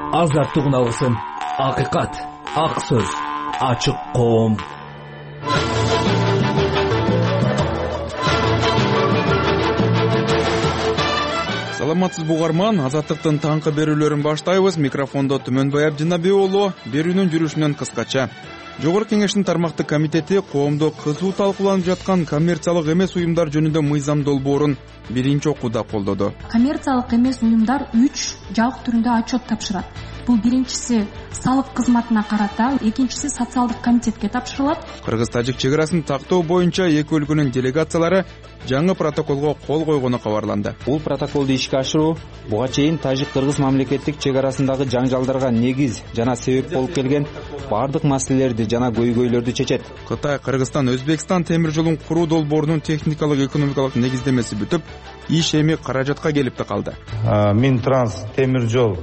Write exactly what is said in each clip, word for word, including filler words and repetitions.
азаттык үналгысын, акыйкат, ак сөз, ачык коом. Саламатсызбы угарман, азаттыктын таңкы берүүлөрүн баштайбыз. Микрофондо Түмөнбай Абдинабек уулу. Берүүнүн жүрүшүнөн кыскача. Жогорку Кеңештин тармактык комитети коомдо кызуу талкууланып жаткан коммерциялык эмес уюмдар жөнүндө мыйзам долбоорун биринчи окууда колдоду. Коммерциялык эмес уюмдар үч жабык түрүндө отчет тапшырат. Бул биринчиси салык кызматына карата, экинчиси социалдык комитетке тапшырылат. Кыргыз-тажик чек арасын тактоо боюнча эки өлкөнүн делегациялары жаңы протоколго кол койгону кабарланды. Бул протоколду ишке ашыруу буга чейин тажик-кыргыз мамлекеттик чек арасындагы жаңжалдарга негиз жана себеп болуп келген бардык маселелерди жана көйгөйлөрдү чечет. Кытай, Кыргызстан, Өзбекстан темир жолун куруу долбоорунун техникалык экономикалык негиздемеси бүтүп, иш эми каражатка келип калды. Минтранс темир жол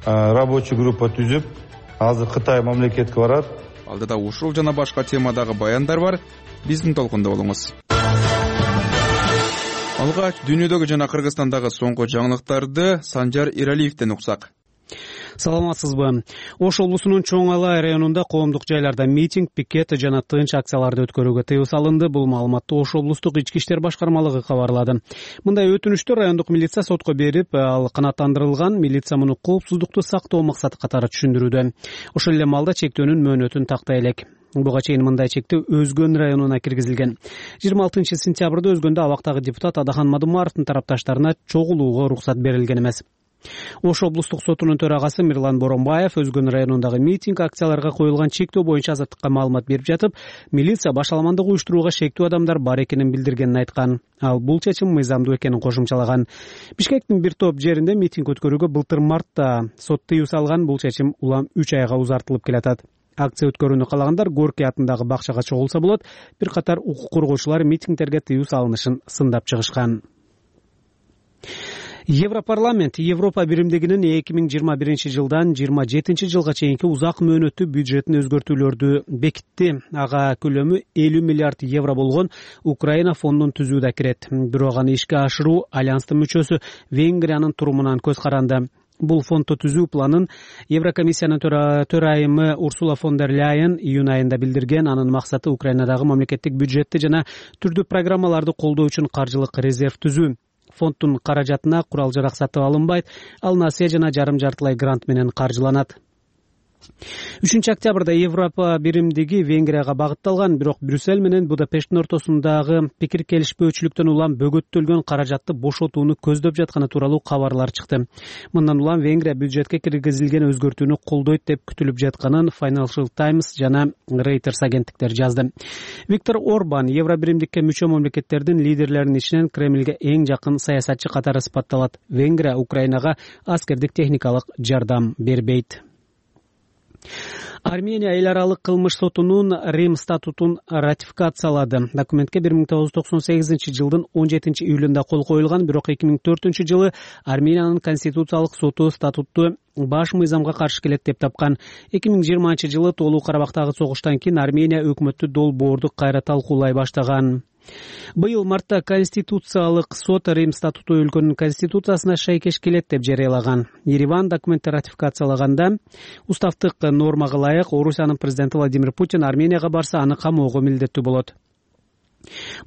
рабочий группа түзүп, азыр Кытай мамлекетке барат. Алдыда ушул жана башка темадагы баяндар бар. Биздин толкунда болуңуз. Алгач дүйнөдөгү жана Кыргызстандагы соңку жаңылыктарды Санжар Иралиевден уксак. Саламатсызбы. Ош облусунун Чоң Алай районунда коомдук жайларда митинг, пикет жана тынч акцияларды өткөрүүгө тыюу салынды. Бул маалыматты Ош облустук ички иштер башкармалыгы кабарлады. Мындай өтүнүштөр райондук милиция сотко берип, ал канааттандырылган. Милиция муну коопсуздукту сактоо максаты катары түшүндүрүүдө. Ошол эле маалда чектөөнүн мөөнөтүн тактай элек. Буга чейин мындай чектөө Өзгөн районуна киргизилген. жыйырма алтынчы сентябрда Өзгөндө абактагы депутат Адахан Мадумаровдун тарапташтарына чогулууга уруксат берилген эмес. Ош облустук сотунун төрагасы Мирлан Боронбаев Өзгөн районундагы митинг, акцияларга коюлган чектөө боюнча азаттыкка маалымат берип жатып, милиция башаламандык уюштурууга шектүү адамдар бар экенин билдиргенин айткан. Ал бул чечим мыйзамдуу экенин кошумчалаган. Бишкектин бир топ жеринде митинг өткөрүүгө былтыр мартта сот тыюу салган. Бул чечим улам үч айга узартылып келатат. Акция өткөрүүнү каалагандар Горький атындагы бакчага чогулса болот. Бир катар укук коргоочулар митингтерге тыюу салынышын сындап чыгышкан. Европарламент Европа биримдигинин эки миң жыйырма биринчи жылдан жыйырма жетинчи жылга чейинки узак мөөнөттүү бюджетин өзгөртүүлөрдү бекитти. Ага көлөмү элүү миллиард евро болгон Украина фондун түзүү да кирет. Бирок аны ишке ашыруу альянстын мүчөсү Венгриянын турумунан көз каранды. Бул фондду түзүү планын Еврокомиссиянын төрайымы Урсула фон дер Ляйен июнь айында билдирген. Анын максаты Украинадагы мамлекеттик бюджетти жана түрдүү программаларды колдоо үчүн каржылык резерв түзүү. Фонддун каражатына курал-жарак сатып алынбайт, ал насыя жана жарым-жартылай грант менен каржыланат. үчүнчү октябрда Европа биримдиги Венгрияга багытталган, бирок Брюссель менен Будапешттин ортосундагы пикир келишпөөчүлүктөн улам бөгөттөлгөн каражатты бошотууну көздөп жатканы тууралуу кабарлар чыкты. Мындан улам Венгрия бюджетке киргизилген өзгөртүүнү колдойт деп күтүлүп жатканын Financial Times жана Reuters агенттиктери жазды. Виктор Орбан Евро биримдикке мүчө мамлекеттердин лидерлеринин ичинен Кремлге эң жакын саясатчы катары сыпатталат. Венгрия Украинага аскердик техникалык жардам бербейт. Армения эл аралык кылмыш сотунун Рим статутун ратификациялады. Документке бир миң тогуз жүз токсон сегизинчи жылдын он жетинчи июлунда кол коюлган, бирок эки миң төртүнчү жылы Армениянын конституциялык соту статутту баш мыйзамга каршы келет деп тапкан. эки миң жыйырманчы жылы Тоолуу Карабактагы согуштан кийин Армения өкмөттү долбоорду кайра талкуулай баштаган. Быйыл мартта Конституциялык сот Рим статуту өлкөнүн конституциясына шайкеш келет деп жарыялаган. Ереван документти ратификациялаганда уставдык нормага ылайык Орусиянын президенти Владимир Путин Арменияга барса, аны камоого милдеттүү болот.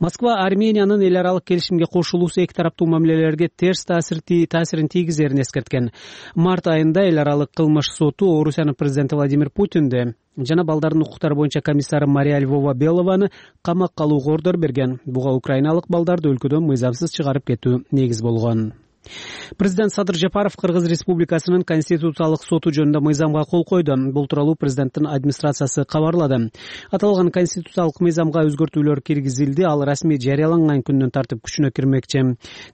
Москва Армениянын эл аралык келишимге кошулуусу эки тараптуу мамилелерге терс таасирин тийгизерин эскерткен. Март айында эл аралык кылмыш соту Орусиянын президенти Владимир Путинди жана балдардын укуктары боюнча комиссары Мария Львова Белованы камакка алууга ордор берген. Буга украиналык балдарды өлкөдөн мыйзамсыз чыгарып кетүү негиз болгон. Президент Садыр Жапаров Кыргыз Республикасынын конституциялык соту жөнүндө мыйзамга кол койду. Бул тууралуу президенттин администрациясы кабарлады. Аталган конституциялык мыйзамга өзгөртүүлөр киргизилди. Ал расмий жарыяланган күндөн тартып күчүнө кирмекчи.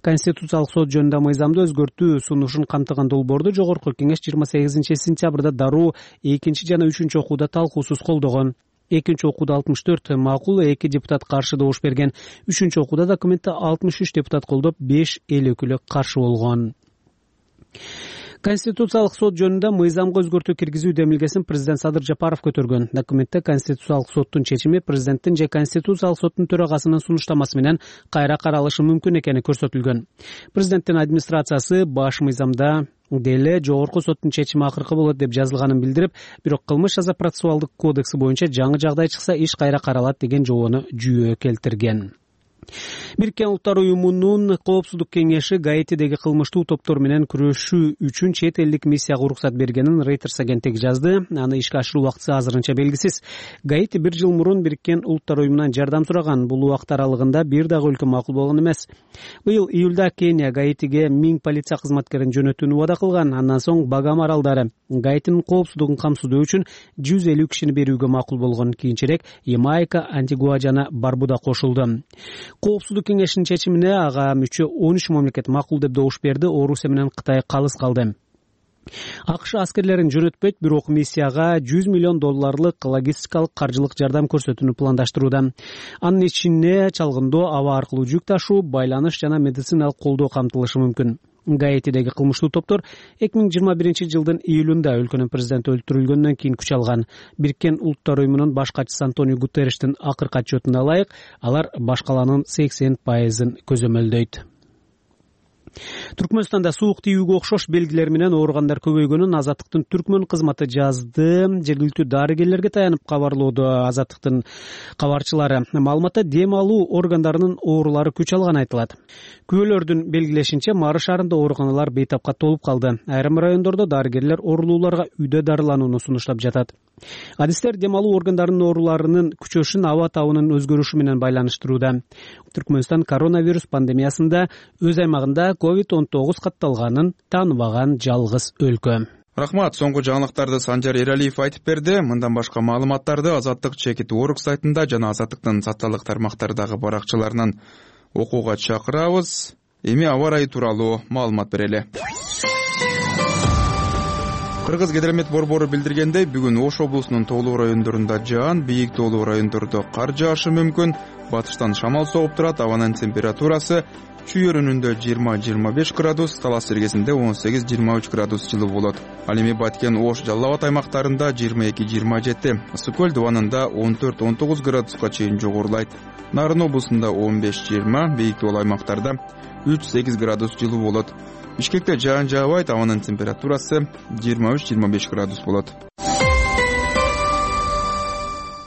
Конституциялык сот жөнүндө мыйзамды өзгөртүү сунушун камтыган долбоорду Жогорку Кеңеш жыйырма сегизинчи сентябрда дароо экинчи жана үчүнчү окууда талкуусуз колдогон. Экинчи окууда алтымыш төрт макул, эки депутат каршы добуш берген. Үчүнчү окууда документти алтымыш үч депутат колдоп, беш эл өкүлү каршы болгон. Конституциялык сот жөнүндө мыйзамга өзгөртүү киргизүү демилгесин президент Садыр Жапаров көтөргөн. Документте Конституциялык соттун чечими президенттин же Конституциялык соттун төрагасынын сунуштамасы менен кайра каралышы мүмкүн экени көрсөтүлгөн. Президенттин администрациясы баш мыйзамда деле жогорку соттун чечими акыркы болот деп жазылганын билдирип, бирок кылмыш жаза процессуалдык кодекси боюнча жаңы жагдай чыкса иш кайра каралат деген жобону жүйө келтирген. Бириккен Улуттар уюмунун коопсуздук кеңеши Гаитидеги кылмыштуу топтор менен күрөшүү үчүн чет элдик миссияга уруксат бергенин Reuters агенттиги жазды. Аны ишке ашыруу убактысы азырынча белгисиз. Гаити бир жыл мурун Бириккен Улуттар уюмунан жардам сураган. Бул убакыт аралыгында бир дагы өлкө макул болгон эмес. Быйыл июлда Кения Гаитиге миң полиция кызматкерин жөнөтүүнү убада кылган. Андан соң Багам аралдары Гаитинин коопсуздугун камсыздоо үчүн жүз элүү кишини берүүгө макул болгон. Кийинчерээк Ямайка, Антигуа жана Барбуда кошулду. Коопсуздук кеңешинин чечимине ага мүчө он үч мамлекет макул деп добуш берди. Орусия менен Кытай калыс калды. АКШ аскерлерин жөнөтпөйт, бирок миссияга жүз миллион долларлык логистикалык каржылык жардам көрсөтүүнү пландаштырууда. Анын ичине чалгындоо, аба аркылуу жүк ташуу, байланыш жана медициналык колдоо камтылышы мүмкүн. Гаитидеги кылмыштуу топтор эки миң жыйырма биринчи жылдын июлунда өлкөнүн президенти өлтүрүлгөндөн кийин күч алган. Бириккен Улуттар уюмунун баш катчысы Антонио Гутерриштин акыркы отчетуна ылайык, алар башкаланын сексен пайызын көзөмөлдөйт. Түркмөнстанда суук тийүүгө окшош белгилер менен ооругандар көбөйгөнүн Азаттыктын Түркмөн кызматы жазды. Жергиликтүү дарыгерлерге таянып кабарлоодо Азаттыктын кабарчылары. Маалыматта дем алуу органдарынын оорулары күч алганы айтылат. Күбөлөрдүн белгилешинче, Мары шаарында ооруканалар бейтапка толуп калды. Айрым райондордо дарыгерлер оорулууларга үйдө дарыланууну сунуштап жатат. Адистер дем алуу органдарынын ооруларынын күчөшүн аба табынын өзгөрүшү менен байланыштырууда. Түркмөнстан коронавирус пандемиясында өз аймагында ковид он тогуз катталганын тааныбаган жалгыз өлкө. Рахмат, соңку жаңылыктарды Санжар Эралиев айтып берди. Мындан башка маалыматтарды Азаттык чекит орг сайтында жана Азаттыктын социалдык тармактардагы баракчаларынан окууга чакырабыз. Эми аба ырайы тууралуу маалымат берели. Кыргыз Гидромет борбору билдиргендей, бүгүн Ош облусунун тоолуу райондорунда жаан, бийик тоолуу райондордо кар жаашы мүмкүн. Батыштан шамал согуп турат, абанын температурасы чүй өрүнүндө жыйырма жыйырма беш градус, Талас эргесинде он сегиз жыйырма үч градус жылуу болот. Ал эми Баткен, Ош, Жалал Абад аймактарында жыйырма эки жыйырма жети, Ысык көл дубанында он төрт он тогуз градуска чейин жогорулайт. Нарын облусунда он беш жыйырма, бийик тоолуу аймактарда үч сегиз градус жылуу болот. Бишкекте жаан жаабайт, абанын температурасы жыйырма үч жыйырма беш градус болот.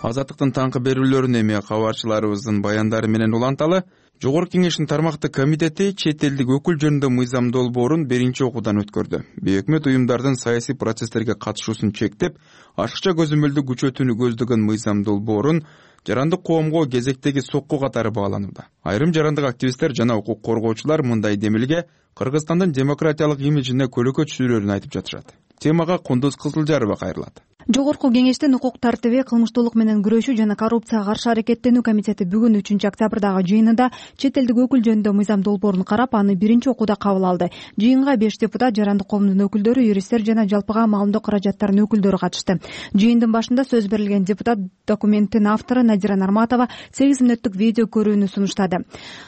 Азаттыктын таңкы берүүлөрүн эми кабарчыларыбыздын баяндары менен уланталы. Жогорку кеңештин тармактык комитети чет элдик өкүл жөнүндө мыйзам долбоорун биринчи окуудан өткөрдү. Бейөкмөт уюмдардын саясий процесстерге катышуусун чектеп, ашыкча көзөмөлдү күчөтүүнү көздөгөн мыйзам долбоорун жарандык коомго кезектеги сокку катары бааланууда. Айрым жарандык активисттер жана укук коргоочулар мындай демилге Кыргызстандын демократиялык имиджине көлөкө түшүрөөрүн айтып жатышат. Темага Кундуз Кызылжарова кайрылат. Жогорку кеңештин укук тартиби, кылмыштуулук менен күрөшүү жана коррупцияга каршы аракеттенүү комитети бүгүн үчүнчү октябрдагы жыйынында чет элдик өкүл жөнүндө мыйзам долбоорун карап, аны биринчи окууда кабыл алды. Жыйынга беш депутат, жарандык коомдун өкүлдөрү, юристтер жана жалпыга маалымдоо каражаттарынын өкүлдөрү катышты. Жыйындын башында сөз берилген депутат документтин автору Надира Нарматова сегиз мүнөттүк видео көрүүнү сунуштады.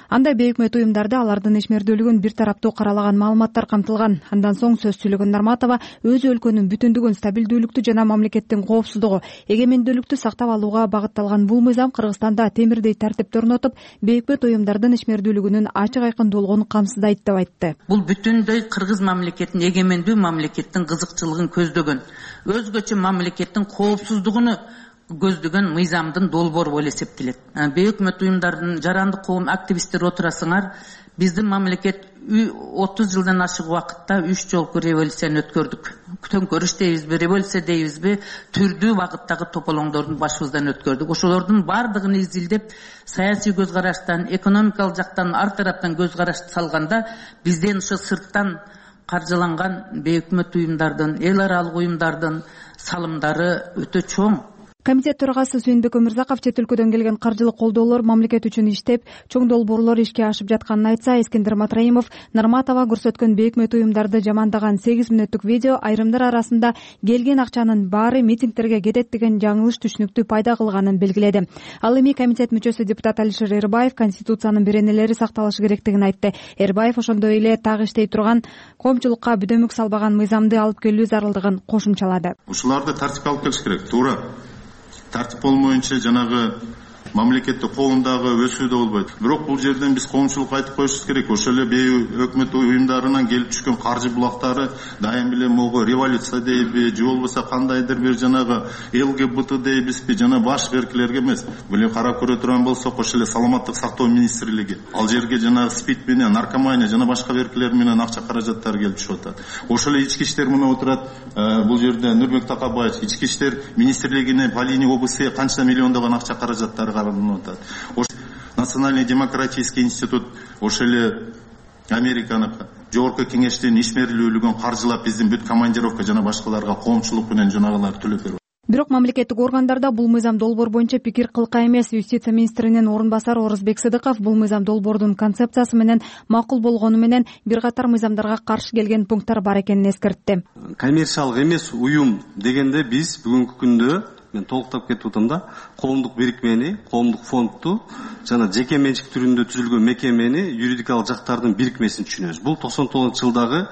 Анда бейөкмөт уюмдарды, алардын ишмердүүлүгүн бир тараптуу каралаган маалыматтар камтылган. Андан соң сөз сүйлөгөн Нарматова өз өлкөнүн бүтүндүгүн, стабилдүүлүктү жана мамлекеттин коопсуздугу, эгемендүүлүктү сактап алууга багытталган бул мыйзам Кыргызстанда темирдей тартипти орнотуп, бейөкмөт уюмдардын ишмердүүлүгүнүн ачык айкын долгоонун камсыздайт деп айтты. Бул бүтүндөй Кыргыз мамлекетин, эгемендүү мамлекеттин кызыкчылыгын көздөгөн, өзгөчө мамлекеттин коопсуздугуну көздөгөн мыйзамдын долбоору болуп эсептелет. Бейөкмөт уюмдардын, жарандык коом активисттери отурасыңар, биздин мамлекет отуз жылдан ашык убакытта үч жолку революцияны өткөрдүк. Төңкөрүш дейбизби, революция дейбизби, түрдүү багыттагы тополоңдордун башыбыздан өткөрдүк. Ошолордун бардыгын изилдеп, саясий көз караштан, экономикалык жактан, ар тараптан көз караш салганда, бизден ушу сырттан каржыланган бейөкмөт уюмдардын, эл аралык уюмдардын салымдары өтө чоң. Комитет төрагасы Сүйүнбек Өмүрзаков чет өлкөдөн келген каржылык колдоолор мамлекет үчүн иштеп, чоң долбоорлор ишке ашып жатканын айтса, Эскендер Матраимов Нарматова көрсөткөн бейөкмөт уюмдарды жамандаган сегиз мүнөттүк видео айрымдар арасында келген акчанын баары митингтерге кетет деген жаңылыш түшүнүктү пайда кылганын белгиледи. Ал эми комитет мүчөсү депутат Алишер Эрбаев Конституциянын беренелери сакталышы керектигин айтты. Эрбаев ошондой эле так иштей турган, коомчулукка бүдөмүк салбаган мыйзамды алып келүү зарылдыгын кошумчалады. Ушуларды тартипке алып келиш керек. Туура. Тартип болмоюнча жанагы мамлекеттик коомдагы өсүү да болбойт. Бирок бул жерден биз коомчулукка айтып коюшубуз керек. Ошол эле бейөкмөт уюмдарынан келип түшкөн каржы булактары дайым эле могу революция дейби, же болбосо кандайдыр бир жанагы ЛГБТ дейбизби, жана баш беркилерге эмес. Бул карап көрө турган болсок, ошол эле саламаттык сактоо министрлиги ал жерге жанагы СПИД менен, наркомания жана башка беркилер менен акча каражаттары келип түшүп атат. Ошол эле ички иштер мына отурат, бул жерде Нурбек Такабаев ички иштер министрлигине Полини облусу канча миллиондогон акча каражаттары Национальный демократический институт ошол эле Американыкы жогорку кеңештин ишмерлүүлүгүн каржылап биздин бүт командировка жана башкаларга коомчулук менен жанагылар төлөп берип. Бирок мамлекеттик органдарда бул мыйзам долбоор боюнча пикир кылка эмес. Юстиция министринин орун басары Орозбек Сыдыков бул мыйзам долбоордун концепциясы менен макул болгону менен бир катар мыйзамдарга каршы келген пункттар бар экенин эскертти. Коммерциялык эмес уюм дегенде биз бүгүнкү күндө мен толуктап кетип атам да, коомдук бирикмени, коомдук фондду жана жеке менчик түрүндө түзүлгөн мекемени, юридикалык жактардын бирикмесин түшүнөбүз. Бул токсон тогузунчу жылдагы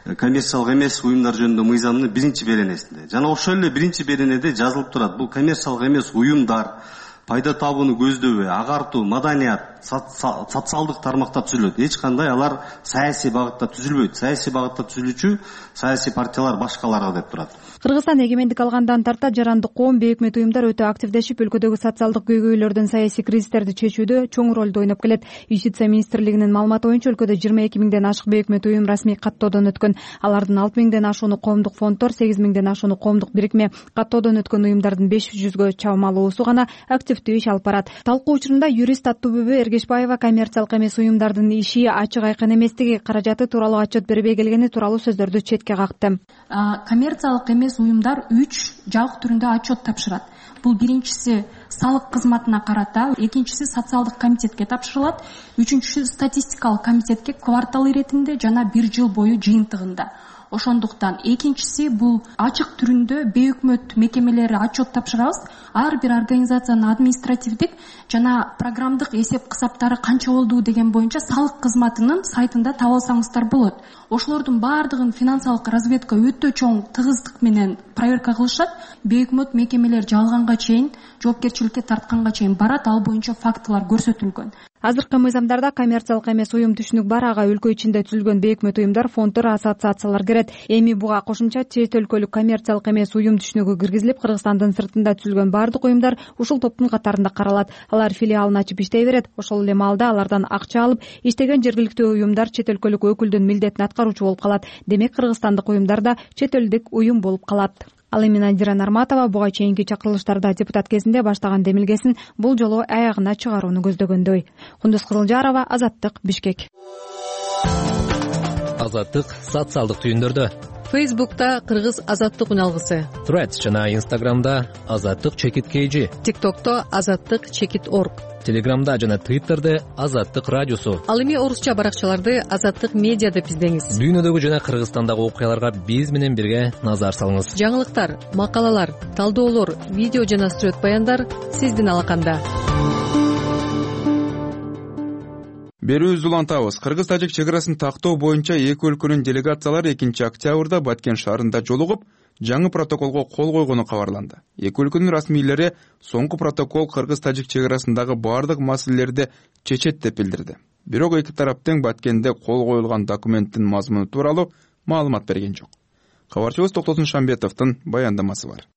коммерциялык эмес уюмдар жөнүндө мыйзамдын биринчи беренесинде. Жана ошол эле биринчи беренеде жазылып турат. Бул коммерциялык эмес уюмдар пайда табууну көздөбөй, агартуу, маданият, социалдык тармакта түзүлөт. Эч кандай алар саясий багытта түзүлбөйт. Саясий багытта түзүлүүчү саясий партиялар башкаларга деп турат. Кыргызстан эгемендик алгандан тарта жарандык коом, бейөкмөт уюмдар өтө активдешип, өлкөдөгү социалдык көйгөйлөрдөн саясий кризистерди чечүүдө чоң ролду ойноп келет. Юстиция министрлигинин маалыматы боюнча өлкөдө жыйырма эки миңден ашык бейөкмөт уюм расмий каттоодон өткөн. Алардын алты миңден ашууну коомдук фонддор, сегиз миңден ашууну коомдук бирикме, каттоодон өткөн уюмдардын беш жүзгө чамалуусу гана активдүү иш алып барат. Талкуу учурунда юрист Аттубүбү Эргешбаева коммерциялык эмес уюмдардын иши ачык айкын эместиги, каражаты тууралуу отчет бербей келгени тууралуу сөздөрдү четке какты. Коммерциялык эмес уюмдар үч жабык түрүндө отчет тапшырат. Бул биринчиси салык кызматына карата, экинчиси социалдык комитетке тапшырылат, үчүнчүсү статистикалык комитетке квартал иретинде жана бир жыл бою жыйынтыгында. Ошондуктан экинчиси бул ачык түрүндө бейөкмөт мекемелери отчет тапшырабыз. Ар бир организациянын административдик жана программдык эсеп кысаптары канча болду деген боюнча салык кызматынын сайтында таба алсаңыздар болот. Ошолордун баардыгын финансылык разведка өтө чоң тыгыздык менен проверка кылышат. Бейөкмөт мекемелер жалганга чейин, жоопкерчиликке тартканга чейин барат, ал боюнча фактылар көрсөтүлгөн. Азыркы мыйзамдарда коммерциялык эмес уюм түшүнүк бар, ага өлкө ичинде түзүлгөн бейөкмөт уюмдар, фонддор, ассоциациялар кирет. Эми буга кошумча чет өлкөлүк коммерциялык эмес уюм түшүнүгү киргизилип, Кыргызстандын сыртында түзүлгөн баардык уюмдар ушул топтун катарында каралат. Алар филиалын ачып иштей берет. Ошол эле маалда алардан акча алып иштеген жергиликтүү уюмдар чет өлкөлүк өкүлдүн милдетин аткаруучу болуп калат. Демек кыргызстандык уюмдар да чет элдик уюм болуп калат. Ал эми Надира Нарматова буга чейинки чакырылыштарда депутат кезинде баштаган демилгесин бул жолу аягына чыгарууну көздөгөндөй. Кундуз Кызылжарова, Азаттык, Бишкек. Азаттык социалдык түйүндөрдө. Фейсбукта Кыргыз Азаттык үналгысы. Threads жана Instagramда Азаттык чекит kg. TikTokто Азаттык чекит org. Телеграмда жана Twitterде Азаттык радиосу. Ал эми орусча баракчаларды Азаттык медиа деп издеңиз. Дүйнөдөгү жана Кыргызстандагы окуяларга биз менен бирге назар салыңыз. Жаңылыктар, макалалар, талдоолор, видео жана сүрөт баяндар сиздин алаканда. Берүүбүздү улантабыз. Кыргыз-тажик чек арасын тактоо боюнча эки өлкөнүн делегациялары экинчи октябрда Баткен шаарында жолугуп, жаңы протоколго кол койгону кабарланды. Эки өлкөнүн расмийлери соңку протокол кыргыз-тажик чек арасындагы баардык маселелерди чечет деп билдирди. Бирок эки тарап тең Баткенде кол коюлган документтин мазмуну тууралуу маалымат берген жок. Кабарчыбыз Токтосун Шамбетовдун баяндамасы бар.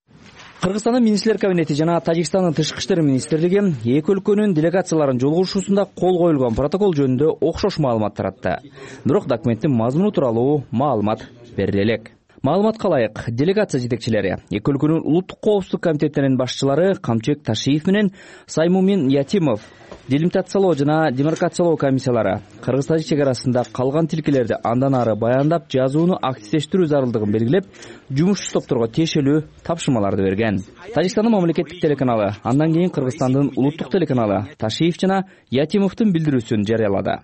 Кыргызстандын министрлер кабинети жана Тажикстандын тышкы иштер министрлиги эки өлкөнүн делегацияларынын жолугушуусунда кол коюлган протокол жөнүндө окшош маалымат таратты. Бирок документтин мазмуну тууралуу маалымат бериле элек. Маалыматка ылайык, делегация жетекчилери эки өлкөнүн улуттук коопсуздук комитеттеринин башчылары Камчек Ташиев менен Саймумин Ятимов делимитациялоо жана демаркациялоо комиссиялары кыргыз-тажик чек арасында калган тилкелерди андан ары баяндап жазууну активдештирүү зарылдыгын белгилеп, жумушчу топторго тиешелүү тапшырмаларды берген. Тажикстандын мамлекеттик телеканалы, андан кийин Кыргызстандын улуттук телеканалы Ташиев жана Ятимовдун билдирүүсүн жарыялады.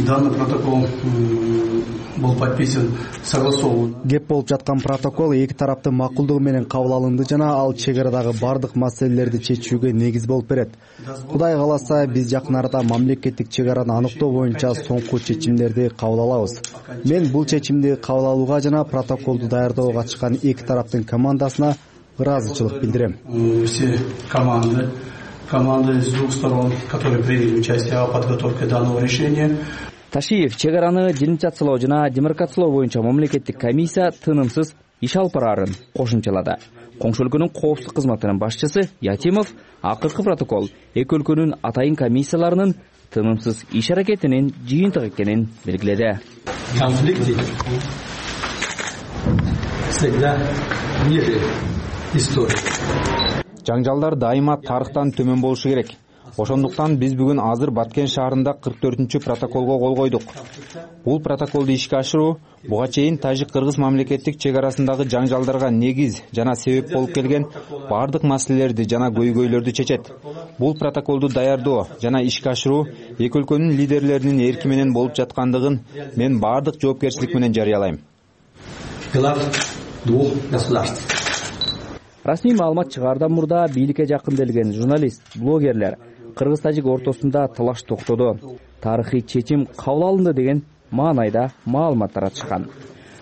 Данный протокол был подписан согласован. Кеп болуп жаткан протокол эки тараптын макулдугу менен кабыл алынды жана ал чек арадагы бардык маселелерди чечүүгө негиз болуп берет. Кудай кааласа, биз жакын арада мамлекеттик чек араны аныктоо боюнча соңку чечимдерди кабыл алабыз. Мен бул чечимди кабыл алууга жана протоколду даярдоого катышкан эки тараптын командасына ыраазычылык билдирем. Все команды команды из двух сторон, которые приняли участие в подготовке данного решения. Ташиев чек араны делимитациялоо жана демаркациялоо боюнча мамлекеттик комиссия тынымсыз иш алып бараарын кошумчалады. Коңшу өлкөнүн коопсуздук кызматынын башчысы Ятимов акыркы протокол эки өлкөнүн атайын комиссияларынын тынымсыз иш аракетинин жыйынтыгы экенин белгиледи. Конфликты всегда ниже истории. Жаңжалдар дайыма тарыхтан төмөн болушу керек. Ошондуктан биз бүгүн азыр Баткен шаарында кырк төртүнчү протоколго кол койдук. Бул протоколду ишке ашыруу буга чейин тажик-кыргыз мамлекеттик чек арасындагы жаңжалдарга негиз жана себеп болуп келген бардык маселелерди жана көйгөйлөрдү чечет. Бул протоколду даярдоо жана ишке ашыруу эки өлкөнүн лидерлеринин эрки менен болуп жаткандыгын мен бардык жоопкерчилик менен жарыялайм. Глав двух государств. Расмий маалымат чыгаардан мурда бийликке жакынделген журналист, блогерлер кыргыз-тажик ортосунда талаш токтоду. Тарыхый чечим кабыл алынды деген маанайда маалымат таратышкан.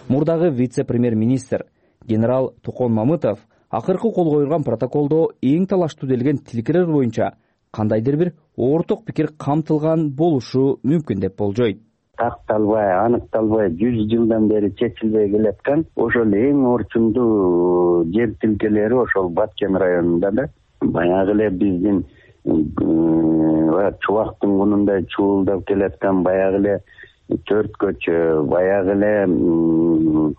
Мурдагы вице-премьер-министр генерал Токон Мамытов акыркы кол коюлган протоколдо эң талаштуу делген тилкелер боюнча кандайдыр бир орток пикир камтылган болушу мүмкүн деп болжойт. Такталбай, аныкталбай жүз жылдан бери чечилбей келаткан ошол эң орчундуу жер тилкелери ошол Баткен районунда да баягы эле биздин чубактын кунундай чуулдап келаткан баягы эле төрт көчө, баягы эле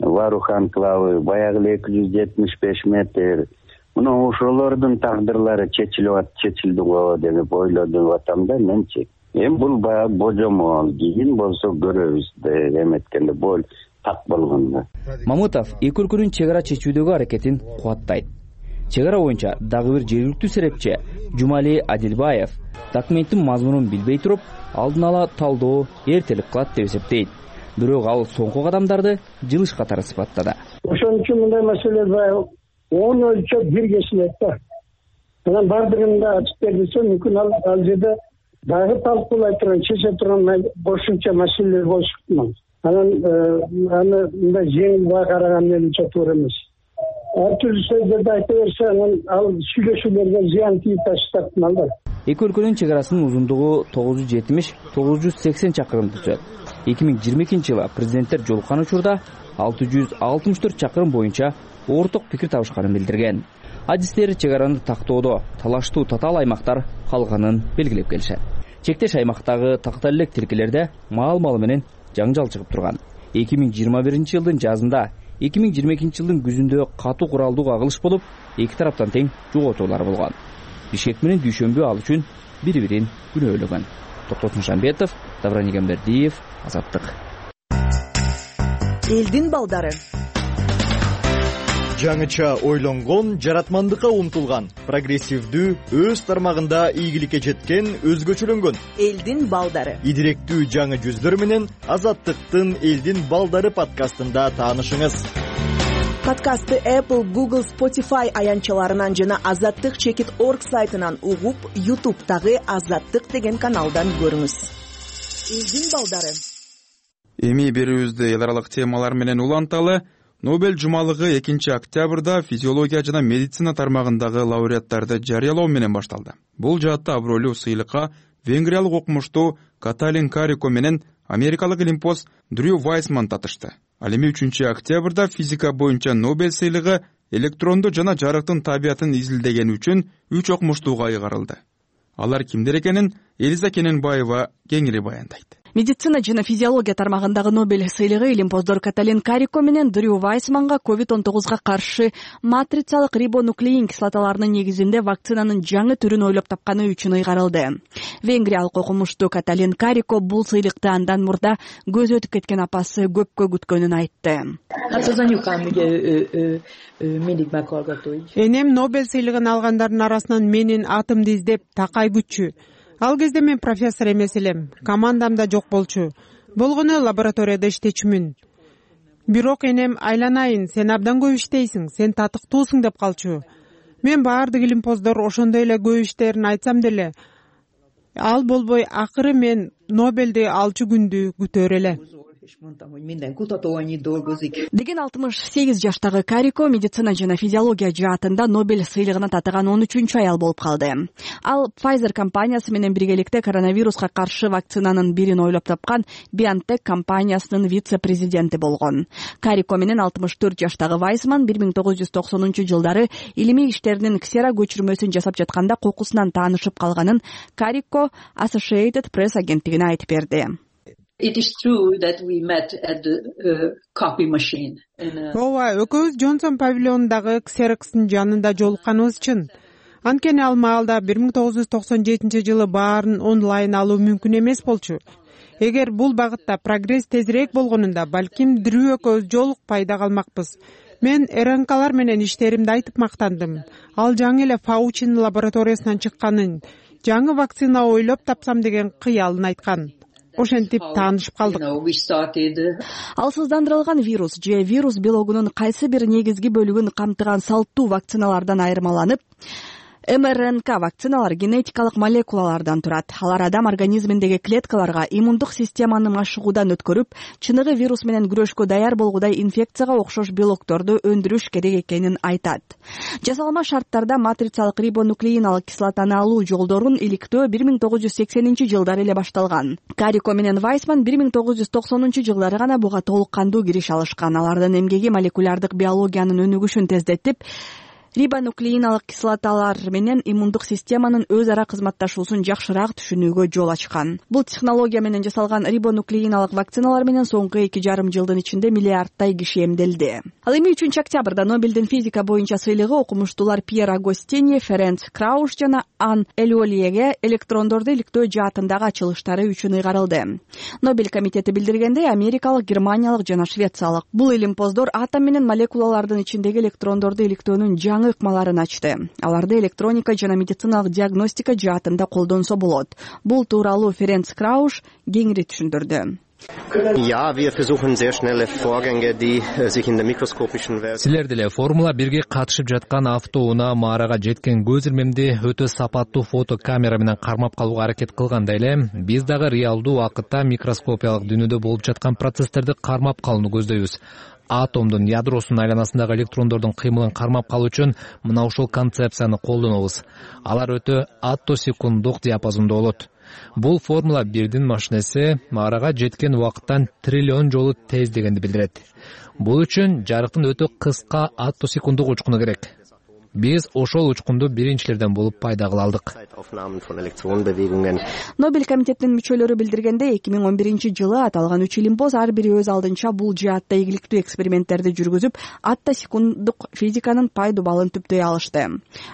Варухан клавы, баягы эле эки жүз жетимиш беш метр. Мына ошолордун тагдырлары чечилип чечилди го деп ойлоп атам да менчи. Эми бул баягы божомол, кийин болсо көрөбүз деп эметкенде бул так болгондо. Мамытов эки өлкөнүн чек ара чечүүдөгү аракетин кубаттайт. Чек ара боюнча дагы бир жергиликтүү серепчи Жумали Адилбаев документтин мазмунун билбей туруп, алдын ала талдоо эртелик кылат деп эсептейт. Бирок ал соңку кадамдарды жылыш катары сыпаттады. Ошон үчүн мындай маселе баягы он өлчөп бир кесилет да. Анан бардыгын да ачып берилсе мүмкүн ал ал жерде дагы талкуулай турган, чече турган кошумча маселелер болушу ыктымал. Анан аны мындай жеңил баа караган менимче туура эмес. Ар түрдүү сөздөрдү айта берсе, анан ал сүйлөшүүлөргө зыян тийип таштап ыктымал да. Эки өлкөнүн чек арасынын узундугу тогуз жүз жетимиш — тогуз жүз сексен чакырымды түзөт. эки миң жыйырма экинчи жылы президенттер жолуккан учурда алты жүз алтымыш төрт чакырым боюнча орток пикир табышканын билдирген. Адистер чек араны тактоодо талаштуу татаал аймактар калганын белгилеп келишет. Чектеш аймактагы тактал элек тилкелерде маал-маалы менен жаңжал чыгып турган. эки миң жыйырма биринчи жылдын жазында, эки миң жыйырма экинчи жылдын күзүндө катуу куралдуу кагылыш болуп, эки тараптан тең жоготуулар болгон. Бишкек менен Дүйшөмбү ал үчүн бири-бирин күнөөлөгөн. Токтосун Шамбетов, Давран Игамбердиев, Азаттык. Элдин балдары. Жаңыча ойлонгон, жаратмандыкка умтулган, прогрессивдүү, өз тармагында ийгиликке жеткен, өзгөчөлөнгөн. Элдин балдары. Идиректүү жаңы жүздөр менен Азаттыктын Элдин балдары подкастында таанышыңыз. Подкастты Apple, Google, Spotify аянчаларынан жана азаттык чекит точка орг сайтынан угуп, YouTube'дагы Азаттык деген каналдан көрүңүз. Элдин балдары. Эми берүүбүздү эл аралык темалар менен уланталы. Нобель жумалыгы экинчи октябрда физиология жана медицина тармагындагы лауреаттарды жарыялоо менен башталды. Бул жаатта абройлуу сыйлыкка венгриялык окумуштуу Каталин Карико менен америкалык илимпоз Дрю Вайсман татышты. Ал эми үчүнчү октябрда физика боюнча Нобель сыйлыгы электрондо жана жарыктын табиятын изилдегени үчүн үч окумуштууга ыйгарылды. Алар кимдер экенин Элиза Кененбаева кеңири баяндайт. Медицина жана физиология тармагындагы Нобель сыйлыгы илимпоздор Каталин Карико менен Дрю Вайсманга ковид он тогузга каршы матрицалык рибонуклеин кислоталарынын негизинде вакцинанын жаңы түрүн ойлоп тапканы үчүн ыйгарылды. Венгриялык окумуштуу Каталин Карико бул сыйлыкты андан мурда көзү өтүп кеткен апасы көпкө күткөнүн айтты. Энем Нобель сыйлыгын алгандардын арасынан менин атымды издеп такай күтчү. Ал кезде мен профессор эмес элем, командамда жок болчу. Болгону лабораторияда иштечүмүн. Бирок энем айланайын, сен абдан көп иштейсиң, сен татыктуусуң деп калчу. Мен баардык илимпоздор ошондой эле көп иштерин айтсам деле, ал болбой акыры мен Нобелди алчу күндү күтөр эле. Деген алтымыш сегиз жаштагы Карико медицина жана физиология жаатында Нобель сыйлыгына татыган он үчүнчү аял болуп калды. Ал Pfizer компаниясы менен биргеликте коронавируска каршы вакцинанын бирин ойлоп тапкан BioNTech компаниясынын вице-президенти болгон. Карико менен алтымыш төрт жаштагы Вайсман бир миң тогуз жүз токсонунчу жылдары илимий иштеринин ксера көчүрмөсүн жасап жатканда кокусунан таанышып калганын Карико Associated Press агенттигине айтып берди. It is true that we met at the uh, copy machine. Ооба, экөөбүз Джонсон павильонундагы ксерокстун жанында жолукканыбыз чын. Анткени ал маалда бир миң тогуз жүз токсон жетинчи жылы баарын онлайн алуу мүмкүн эмес болчу. Эгер бул багытта прогресс тезирээк болгонунда, балким Дрю экөөбүз жолукпай да калмакпыз. Мен РНКлар менен иштеримди айтып мактандым. Ал жаңы эле Фаучинин лабораториясынан чыкканын, жаңы вакцина ойлоп тапсам деген кыялын айткан. Ошентип таанышып калдык. Ал сыздандырылган вирус же вирус белогунун кайсы бир негизги бөлүгүн камтыган салттуу вакциналардан айырмаланып, эм эр эн ка вакциналар генетикалык молекулалардан турат. Алар адам организминдеги клеткаларга иммундук системаны машыгуудан өткөрүп, чыныгы вирус менен күрөшкө даяр болгудай инфекцияга окшош белокторду өндүрүш керек экенин айтат. Жасалма шарттарда матрицалык рибонуклеиналык кислотаны алуу жолдорун иликтөө бир миң тогуз жүз сексенинчи жылдары эле башталган. Карико менен Вайсман бир миң тогуз жүз токсонунчу жылдары гана буга толук кандуу кириш алышкан. Алардын эмгеги молекулярдык биологиянын өнүгүшүн тездетип, рибонуклеиналык кислоталар менен иммундук системанын өз ара кызматташуусун жакшыраак түшүнүүгө жол ачкан. Бул технология менен жасалган рибонуклеиналык вакциналар менен соңку эки жарым жылдын ичинде миллиардтай киши эмделди. Ал эми үчүнчү октябрда Нобелдин физика боюнча сыйлыгы окумуштуулар Пьер Агостини, Ференц Крауш жана Ан Элиолиеге электрондорду иликтөө жаатындагы ачылыштары үчүн ыйгарылды. Нобель комитети билдиргендей, америкалык, германиялык жана швециялык бул илимпоздор атом менен молекулалардын ичиндеги электрондорду иликтөөнүн жаңы ыкмаларын ачты. Аларды электроника жана медициналык диагностика жаатында колдонсо болот. Бул тууралуу Ференц Крауш кеңири түшүндүрдү. Ja, wir versuchen sehr schnelle Vorgänge, die sich in der mikroskopischen Welt. Силер деле Формула бирге катышып жаткан автоунаа маарага жеткен көз ирмемди өтө сапаттуу фото камера менен кармап калууга аракет кылгандай эле, биз дагы реалдуу убакытта микроскопиялык дүйнөдө болуп жаткан процесстерди кармап калууну көздөйбүз. Атомдун ядросунун айланасындагы электрондордун кыймылын кармап калуу үчүн мына ушул концепцияны колдонобуз. Алар өтө аттосекунддук диапазондо болот. Бул формула бирдин машинеси маарага жеткен убакыттан триллион жолу тез дегенди билдирет. Бул үчүн жарыктын өтө кыска аттосекунддук учкуну керек. Биз ошол учкунду биринчилерден болуп пайда кыла алдык. Нобель комитетинин мүчөлөрү билдиргендей, эки миң он биринчи жылы аталган үч илимпоз ар бири өз алдынча бул жаатта ийгиликтүү эксперименттерди жүргүзүп, аттосекунддук физиканын пайдубалын түптөй алышты.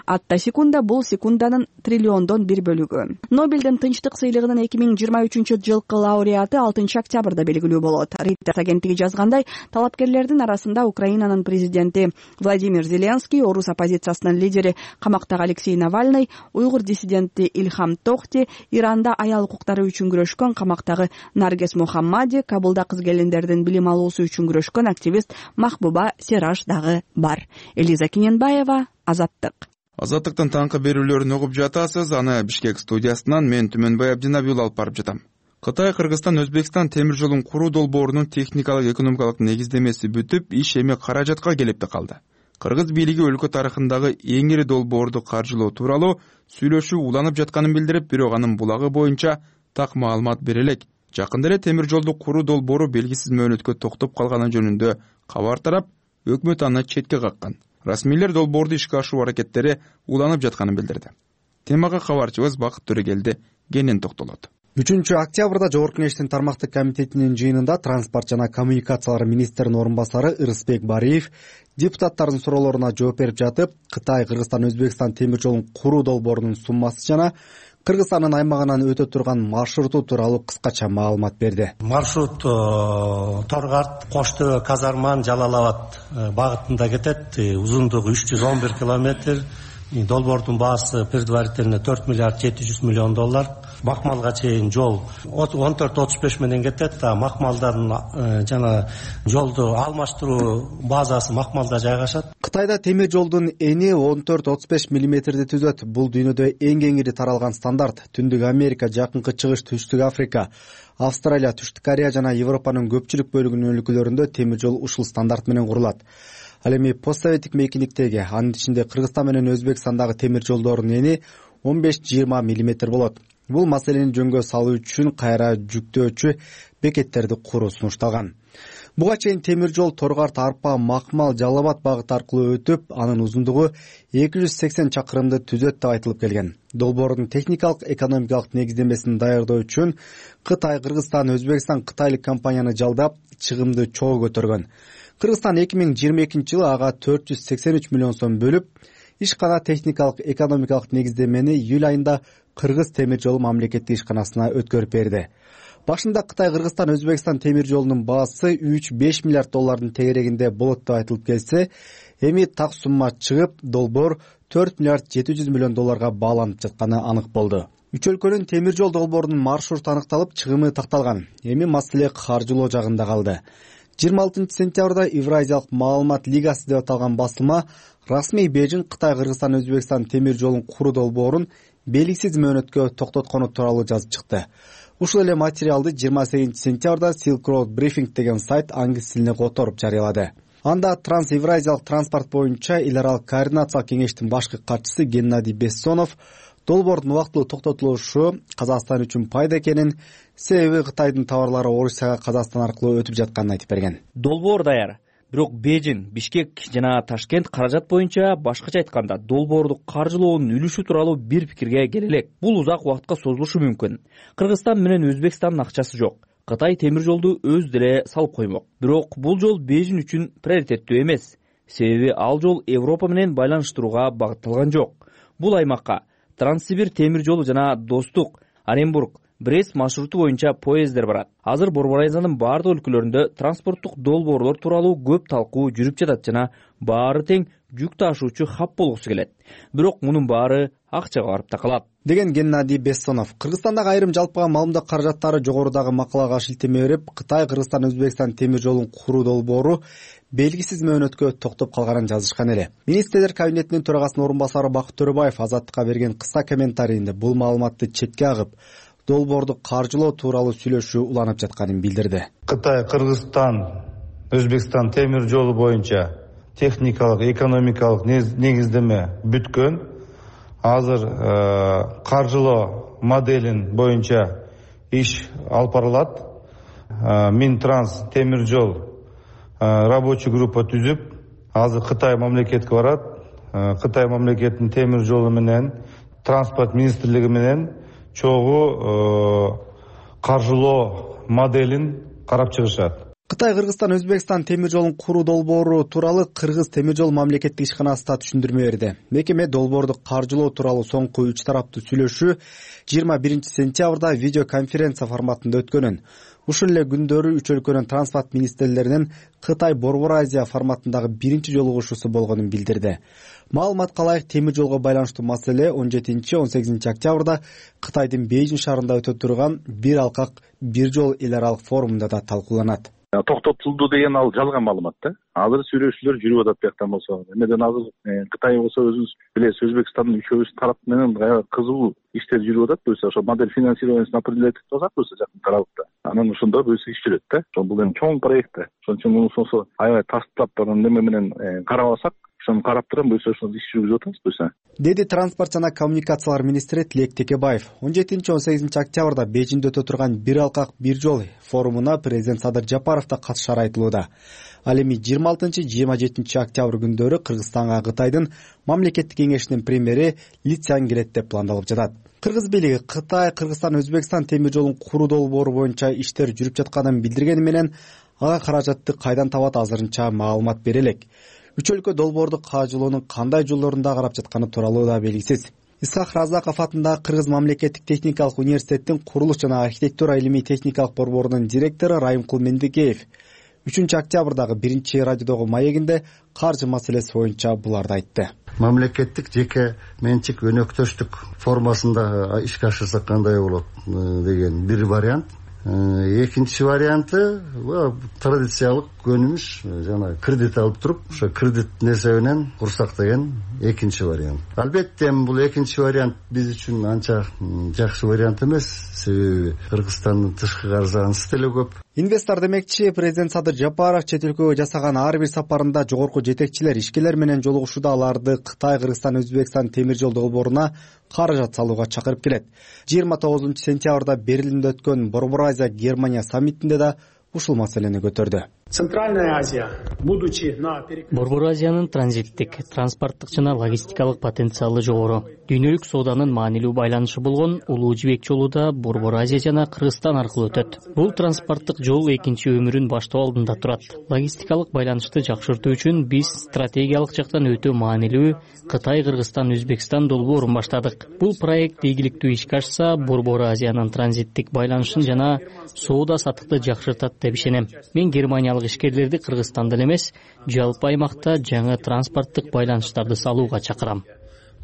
Аттосекунда бул секунданын триллиондон бир бөлүгү. Нобелдин тынчтык сыйлыгынын эки миң жыйырма үчүнчү жылкы лауреаты алтынчы октябрда белгилүү болот. Reuters агенттиги жазгандай, талапкерлердин арасында Украинанын президенти Владимир Зеленский, орус оппозиция лидери камактагы Алексей Навальный, уйгур диссиденти Ильхам Тохти, Иранда аял укуктары үчүн күрөшкөн камактагы Наргес Мухаммади, Кабулда кыз келиндердин билим алуусу үчүн күрөшкөн активист Махбуба Сераш дагы бар. Элиза Киненбаева, Азаттык. Азаттыктын таңкы берүүлөрүн угуп жатасыз. Аны Бишкек студиясынан мен Түмөнбай Абдинабиул алып барып жатам. Кытай, Кыргызстан, Өзбекстан темир жолун куруу долбоорунун техникалык экономикалык негиздемеси бүтүп, иш эми каражатка келип калды. Кыргыз бийлиги өлкө тарыхындагы эң ири долбоорду каржылоо тууралуу сүйлөшүү уланып жатканын билдирип, бирок анын булагы боюнча так маалымат бере элек. Жакында эле темир жолду куруу долбоору белгисиз мөөнөткө токтоп калганы жөнүндө кабар тарап, өкмөт аны четке каккан. Расмийлер долбоорду ишке ашыруу аракеттери уланып жатканын билдирди. Темага кабарчыбыз Бакыт Төрөгелди кенен токтолот. үчүнчү октябрда Жогорку Кеңештин тармактык комитетинин жыйынында транспорт жана коммуникациялар министринин орун басары Ырысбек Бариев депутаттардын суроолоруна жооп берип жатып, Кытай, Кыргызстан, Өзбекстан темир жолун куруу долбоорунун суммасы жана Кыргызстандын аймагынан өтө турган маршруту тууралуу кыскача маалымат берди. Маршрут Торгарт, Кош Төбө, Казарман, Жалал Абад багытында кетет. Узундугу үч жүз он бир километр. Долбоордун баасы предварительно төрт миллиард жети жүз миллион доллар. Макмалга чейин жол он төрт отуз беш менен кетет. Макмалдардын жана жолду алмаштыруу базасы Макмалда жайгашат. Кытайда темир жолдун эни он төрт отуз беш миллиметрди түзөт. Бул дүйнөдө эң кеңири таралган стандарт. Түндүк Америка, Жакынкы Чыгыш, Түштүк Африка, Австралия, Түштүк Корея жана Европанын көпчүлүк бөлүгүнүн өлкөлөрүндө темир жол ушул стандарт менен курулат. Ал эми постсоветтик мейкиндиктеги, анын ичинде Кыргызстан менен Өзбекстандагы темир жолдордун эни он беш жыйырма миллиметр болот. Бул маселени жөнгө салуу үчүн кайра жүктөөчү бекеттерди куруу сунушталган. Буга чейин темир жол Торгарт, Арпа, Макмал, Жалал Абад багыты аркылуу өтүп, анын узундугу эки жүз сексен чакырымды түзөт деп айтылып келген. Долбоордун техникалык, экономикалык негиздемесин даярдоо үчүн Кытай, Кыргызстан, Өзбекстан кытайлык компанияны жалдап, чыгымды чогуу көтөргөн. Кыргызстан эки миң жыйырма экинчи жылы ага төрт жүз сексен үч миллион сом бөлүп, ишкана техникалык, экономикалык негиздемени июль айында Кыргыз темир жолу мамлекеттик ишканасына өткөрүп берди. Башында Кытай, Кыргызстан, Өзбекстан темир жолунун баасы үч беш миллиард доллардын тегерегинде болот деп айтылып келсе, эми так сумма чыгып, долбоор төрт миллиард жети жүз миллион долларга бааланып жатканы анык болду. Үч өлкөнүн темир жол долбоорунун маршруту аныкталып, чыгымы такталган. Эми маселе каржылоо жагында калды. жыйырма алтынчы сентябрда Евразиялык маалымат лигасы деп аталган басылма расмий Бейжин Кытай, Кыргызстан, Өзбекстан темир жолун куруу долбоорун белгисиз мөөнөткө токтоткону тууралуу жазып чыкты. Ушул эле материалды жыйырма сегизинчи сентябрда Silk Road Briefing деген сайт англис тилине которуп жарыялады. Анда Транс-Евразиялык транспорт боюнча эл аралык координациялык кеңештин башкы катчысы Геннадий Бессонов долбоордун убактылуу токтотулушу Казакстан үчүн пайда экенин, себеби Кытайдын товарлары Орусияга Казакстан аркылуу өтүп жатканын айтып берген. Долбоор даяр. Бирок Бейжин, Бишкек жана Ташкент каражат боюнча, башкача айтканда, долбоорду каржылоонун үлүшү тууралуу бир пикирге келе элек. Бул узак убакытка созулушу мүмкүн. Кыргызстан менен Өзбекстандын акчасы жок. Кытай темир жолду өз деле салып коймок. Бирок бул жол Бейжин үчүн приоритеттүү эмес. Себеби ал жол Европа менен байланыштырууга багытталган жок. Бул аймакка Транссибир темир жолу жана Достук, Оренбург, Брест маршруту боюнча поезддер барат. Азыр Борбор Азиянын бардык өлкөлөрүндө транспорттук долбоорлор тууралуу көп талкуу жүрүп жатат жана баары тең жүк ташуучу хаб болгусу келет. Бирок мунун баары акчага барып такалат, деген Геннадий Бессонов. Кыргызстандагы айрым жалпыга маалымдоо каражаттары жогорудагы макалага шилтеме берип, Кытай, Кыргызстан, Өзбекстан темир жолун куруу долбоору белгисиз мөөнөткө токтоп калганын жазышкан эле. Министрлер кабинетинин төрагасынын орун басары Бакыт Төрөбаев Азаттыкка берген кыска комментарийинде бул маалыматты четке агып, долбоорду каржылоо тууралуу сүйлөшүү уланып жатканын билдирди. Кытай, Кыргызстан, Өзбекстан темир жолу боюнча техникалык, экономикалык негиздеме бүткөн. Азыр каржылоо моделин боюнча иш алып барылат. Минтранс темир жол рабочий группа түзүп, азыр Кытай мамлекетке барат. Кытай мамлекетинин темир жолу менен транспорт министрлиги менен чогуу каржылоо моделин карап чыгышат. Кытай, Кыргызстан, Өзбекстан темир жолун куруу долбоору тууралуу Кыргыз темир жол мамлекеттик ишканасы да түшүндүрмө берди. Мекеме долбоорду каржылоо тууралуу соңку үч тараптуу сүйлөшүү жыйырма биринчи сентябрда видеоконференция форматында өткөнүн. Ушул эле күндөрү үч өлкөнүн транспорт министрлеринин Кытай Борбор Азия форматындагы биринчи жолугушуусу болгонун билдирди. Маалыматка ылайык, темир жолго байланыштуу маселе он жетинчи он сегизинчи октябрда Кытайдын Бейжин шаарында өтө турган бир алкак бир жол эл аралык форумунда да талкууланат. Токтотулду деген ал жалган маалымат да. Азыр сүйлөшүүлөр жүрүп атат бияктан болсо. Эмеден азыр Кытай болсо өзүбүз билесиз, Өзбекстандын үчөөбүз тарап менен кызуу иштер жүрүп атат. Буюрса ошо модель финансированиясын определять этип атат, буюрса жакын аралыкта. Анан ошондо буюрса иш жүрөт да. Ошо бул эми чоң проект да. Ошон үчүн муну сонсо аябай тастап неме менен карап алсак, ошону карап турам, буюрса ошону иш жүргүзүп атабыз буюрса, деди транспорт жана коммуникациялар министри Тилек Текебаев. он жетинчи он сегизинчи октябрда Бейжиңде өтө турган бир алкак бир жол форумуна президент Садыр Жапаров да катышары айтылууда. Ал эми жыйырма алтынчы жыйырма жетинчи октябрь күндөрү Кыргызстанга Кытайдын мамлекеттик кеңешинин премьери Ли Цзян келет деп пландалып жатат. Кыргыз бийлиги Кытай, Кыргызстан, Өзбекстан темир жолун куруу долбоору боюнча иштер жүрүп жатканын билдиргени менен ага каражатты кайдан табат азырынча маалымат бере элек. Үч өлкө долбоорду кажылоонун кандай жолдорунда карап жатканы тууралуу да белгисиз. Исхак Разаков атындагы Кыргыз мамлекеттик техникалык университеттин курулуш жана архитектура илимий техникалык борборунун директору Райымкул Мендикеев үчүнчү октябрдагы биринчи радиодогу маегинде каржы маселеси боюнча буларды айтты. Мамлекеттик жеке менчик өнөктөштүк формасында ишке ашырсак кандай болот деген бир вариант. Экинчи варианты традициялык көнүмүш жана кредит алып туруп ошо кредит несебинен курсак деген экинчи вариант. Албетте бул экинчи вариант биз үчүн анча жакшы вариант эмес, себеби Кыргызстандын тышкы каржы ансыз деле көп. Инвестор демекчи президент Садыр Жапаров чет өлкөгө жасаган ар бир сапарында жогорку жетекчилер, ишкерлер менен жолугушууда аларды Кытай, Кыргызстан, Өзбекстан темир жол долбооруна каражат салууга чакырып келет. жыйырма тогузунчу сентябрда Берлинде өткөн Борбор Азия Германия саммитинде да ушул маселени көтөрдү. Центральная Азия, будучи на Борбор Азиянын транзиттик, транспорттук жана логистикалык потенциалы жогору. Дүйнөлүк сооданын маанилүү байланышы болгон Улуу Жибек жолу да Борбор Азия жана Кыргызстан аркылуу өтөт. Бул транспорттук жол экинчи өмүрүн баштоо алдында турат. Логистикалык байланышты жакшыртуу үчүн биз стратегиялык жактан өтө маанилүү Кытай, Кыргызстан, Өзбекстан долбоорун баштадык. Бул проект ийгиликтүү ишке ашса, Борбор Азиянын транзиттик байланышын жана соода саттыкты жакшыртат деп ишенем. Мен Германия ишкерлерди Кыргызстанда эле эмес, жалпы аймакта жаңы транспорттук байланыштарды салууга чакырам.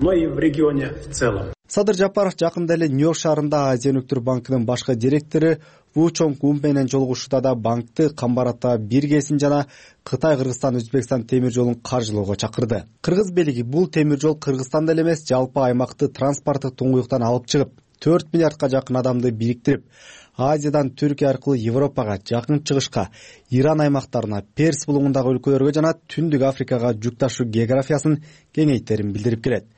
Но и в регионе в целом. Садыр Жапаров жакында эле Нью-Йорк шаарында Азия өнүктүрүү банкынын башкы директору Ву Чонг Ун менен жолугушууда да банкты камбарата биргесин жана Кытай, Кыргызстан, Өзбекстан темир жолун каржылоого чакырды. Кыргыз бийлиги бул темир жол Кыргызстанда эле эмес, жалпы аймакты транспорттук туңгуюктан алып чыгып, төрт миллиардка жакын адамды бириктирип, Азиядан Түркия аркылуу Европага, Жакын Чыгышка, Иран аймактарына, Перс булуңундагы өлкөлөргө жана Түндүк Африкага жүк ташуу географиясын кеңейтерин билдирип келет.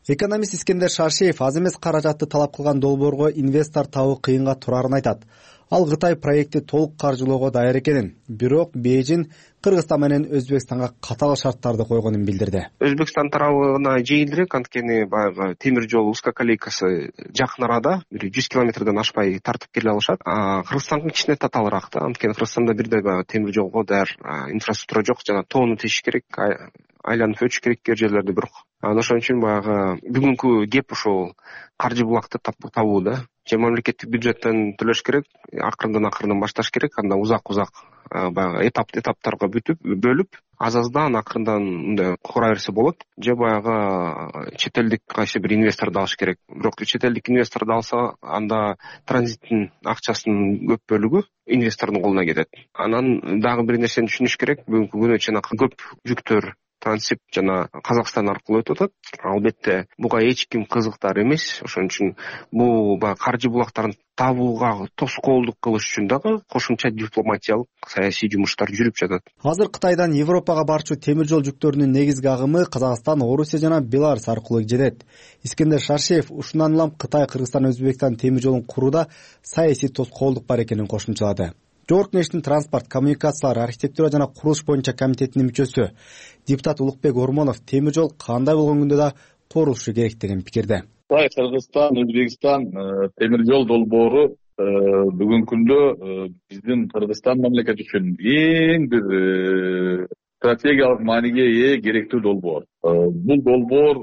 Экономист Искендер Шаршеев аз эмес каражатты талап кылган долбоорго инвестор табуу кыйынга турарын айтат. Ал Кытай проектти толук каржылоого даяр экенин, бирок Бейжиң Кыргызстан менен Өзбекстанга катаал шарттарды койгонун билдирди. Өзбекстан тарабына жеңилирээк, анткени баягы темир жол узкоколейкасы жакын арада, бир жүз километрден ашпай тартып келе алышат. Кыргызстандын кичине татаалыраак да, анткени Кыргызстанда бирдей баягы темир жолго даяр инфраструктура жок, жана тоону тешиш керек, айланып өтүш керек кээ жерлерде бирок. Ошон үчүн баягы бүгүнкү кеп ушул каржы булакты табуу да. Же мамлекеттик бюджеттен төлөш керек, акырындан акырындан башташ керек, анда узак-узак баягы этап этаптарга бүтүп, бөлүп, аз-аздан акырындан мындай кура берсе болот. Же баягы чет элдик кайсы бир инвесторду алыш керек. Бирок чет элдик инвесторду алса, анда транзиттин акчасынын көп бөлүгү инвестордун колуна кетет. Анан дагы бир нерсени түшүнүш керек, бүгүнкү күнү чейин көп жүктөр трансип жана Казакстан аркылуу өтүп атат. Албетте буга эч ким кызыктар эмес. Ошон үчүн бул баягы каржы булактарын табууга тоскоолдук кылыш үчүн дагы кошумча дипломатиялык, саясий жумуштар жүрүп жатат. Азыр Кытайдан Европага барчу темир жол жүктөрүнүн негизги агымы Казакстан, Орусия жана Беларусь аркылуу жетет. Искендер Шаршеев ушундан улам Кытай, Кыргызстан, Өзбекстан темир жолун курууда саясий тоскоолдук бар экенин кошумчалады. Жогорку Кеңештин транспорт, коммуникациялар, архитектура жана курулуш боюнча комитетинин мүчөсү депутат Улукбек Ормонов темир жол кандай болгон күндө да курулушу керек деген пикирде. Кытай, Кыргызстан, Өзбекстан темир жол долбоору бүгүнкү күндө биздин Кыргызстан мамлекети үчүн эң бир стратегиялык мааниге ээ керектүү долбоор. Бул долбоор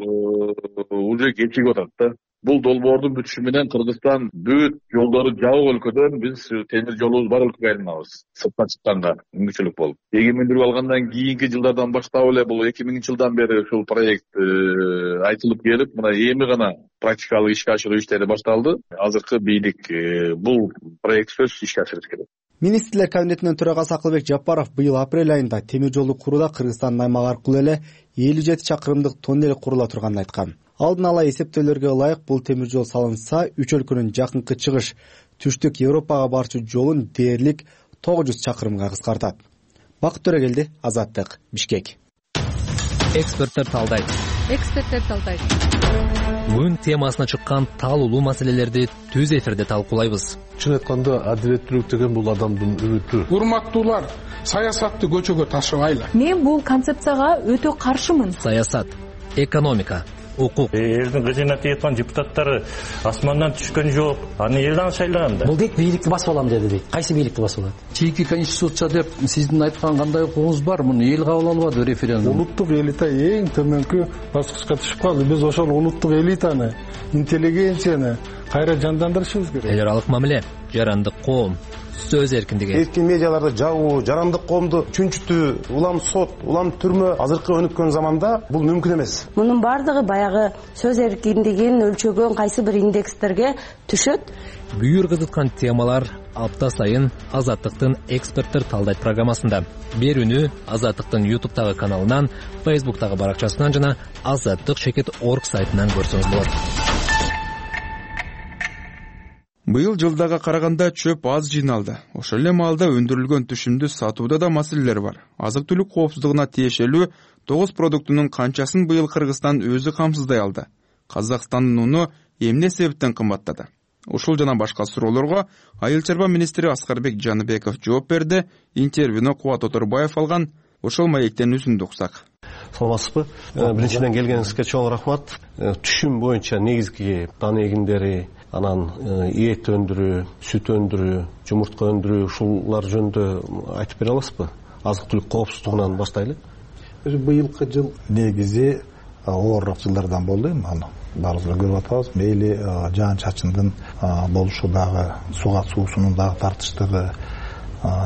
уже кечигип атат да. Бул долбоордун бүтүшү менен Кыргызстан бүт жолдору жабык өлкөдөн биз темир жолубуз бар өлкөгө айланабыз. Сыртка чыкканга мүмкүнчүлүк болуп. Эгемендүүлүк алгандан кийинки жылдардан баштап эле бул эки миңинчи жылдан бери ушул проект айтылып келип, мына эми гана практикалык ишке ашыруу иштери башталды. Азыркы бийлик бул проект сөзсүз ишке ашырыш керек. Министрлер кабинетинин төрагасы Акылбек Жапаров быйыл апрель айында темир жолду курууда Кыргызстандын аймагы аркылуу эле элүү жети чакырымдык тоннель курула турганын айткан. Алдын ала эсептөөлөргө ылайык бул темир жол салынса, үч өлкөнүн жакынкы чыгыш, түштүк Европага барчу жолун дээрлик тогуз жүз чакырымга кыскартат. Бакыт Төрөгелди, Азаттык, Бишкек. эксперттер талдайт эксперттер талдайт күн темасына чыккан таалуулуу маселелерди түз эфирде талкуулайбыз. Чын айтканда адилеттүүлүк деген бул адамдын үмүтү. Урматтуулар, саясатты көчөгө ташыбайлы. Мен бул концепцияга өтө каршымын. Саясат, экономика, укук. Элдин кызмат эткан депутаттары асмандан түшкөн жок. Аны элден шайлаган да. Бул дейт бийликти басып алам деди дейт. Кайсы бийликти басып алат? Чийки конституция деп сиздин айткан кандай укугуңуз бар? Муну эл кабыл албады референдум. Улуттук элита эң төмөнкү баскычка түшүп калды. Биз ошол улуттук элитаны, интеллигенцияны кайра жандандырышыбыз керек. Эл аралык мамиле, жарандык коом, сөз эркиндиги. Эркин медиаларды жабуу, жарандык коомду чүнчүтүү, улам сот, улам түрмө азыркы өнүккөн заманда бул мүмкүн эмес. Мунун бардыгы баягы сөз эркиндигин өлчөгөн кайсы бир индекстерге түшөт. Бүйүр кызыткан темалар апта сайын Азаттыктын эксперттер талдайт программасында. Берүүнү Азаттыктын ютубтагы каналынан, фейсбуктагы баракчасынан жана азаттык чекит точка орг сайтынан көрсөңүз болот. Быйыл жылдага караганда чөп аз жыйналды. Ошол эле маалда өндүрүлгөн түшүмдү сатууда да маселелер бар. Азык-түлүк коопсуздугуна тиешелүү тогуз продуктунун канчасын быйыл Кыргызстан өзү камсыздай алды. Казакстандын уну эмне себептен кымбаттады? Ушул жана башка суроолорго Айыл чарба министри Аскарбек Жаныбеков жооп берди. Интервьюну Кубат Оторбаев алган. Ошол маектен үзүндү уксак. Саламатсызбы? Биринчиден келгениңизге чоң рахмат. Түшүм боюнча негизги дан эгиндери, анан эт өндүрүү, сүт өндүрүү, жумуртка өндүрүү ушулар жөнүндө айтып бере аласызбы? Азык-түлүк коопсуздугунан баштайлы. Быйылкы жыл негизи оорураак жылдардан болду. Аны баарыбыз көрүп атабыз. Мейли жаан-чачындын болушу дагы, суга суусунун дагы тартыштыгы,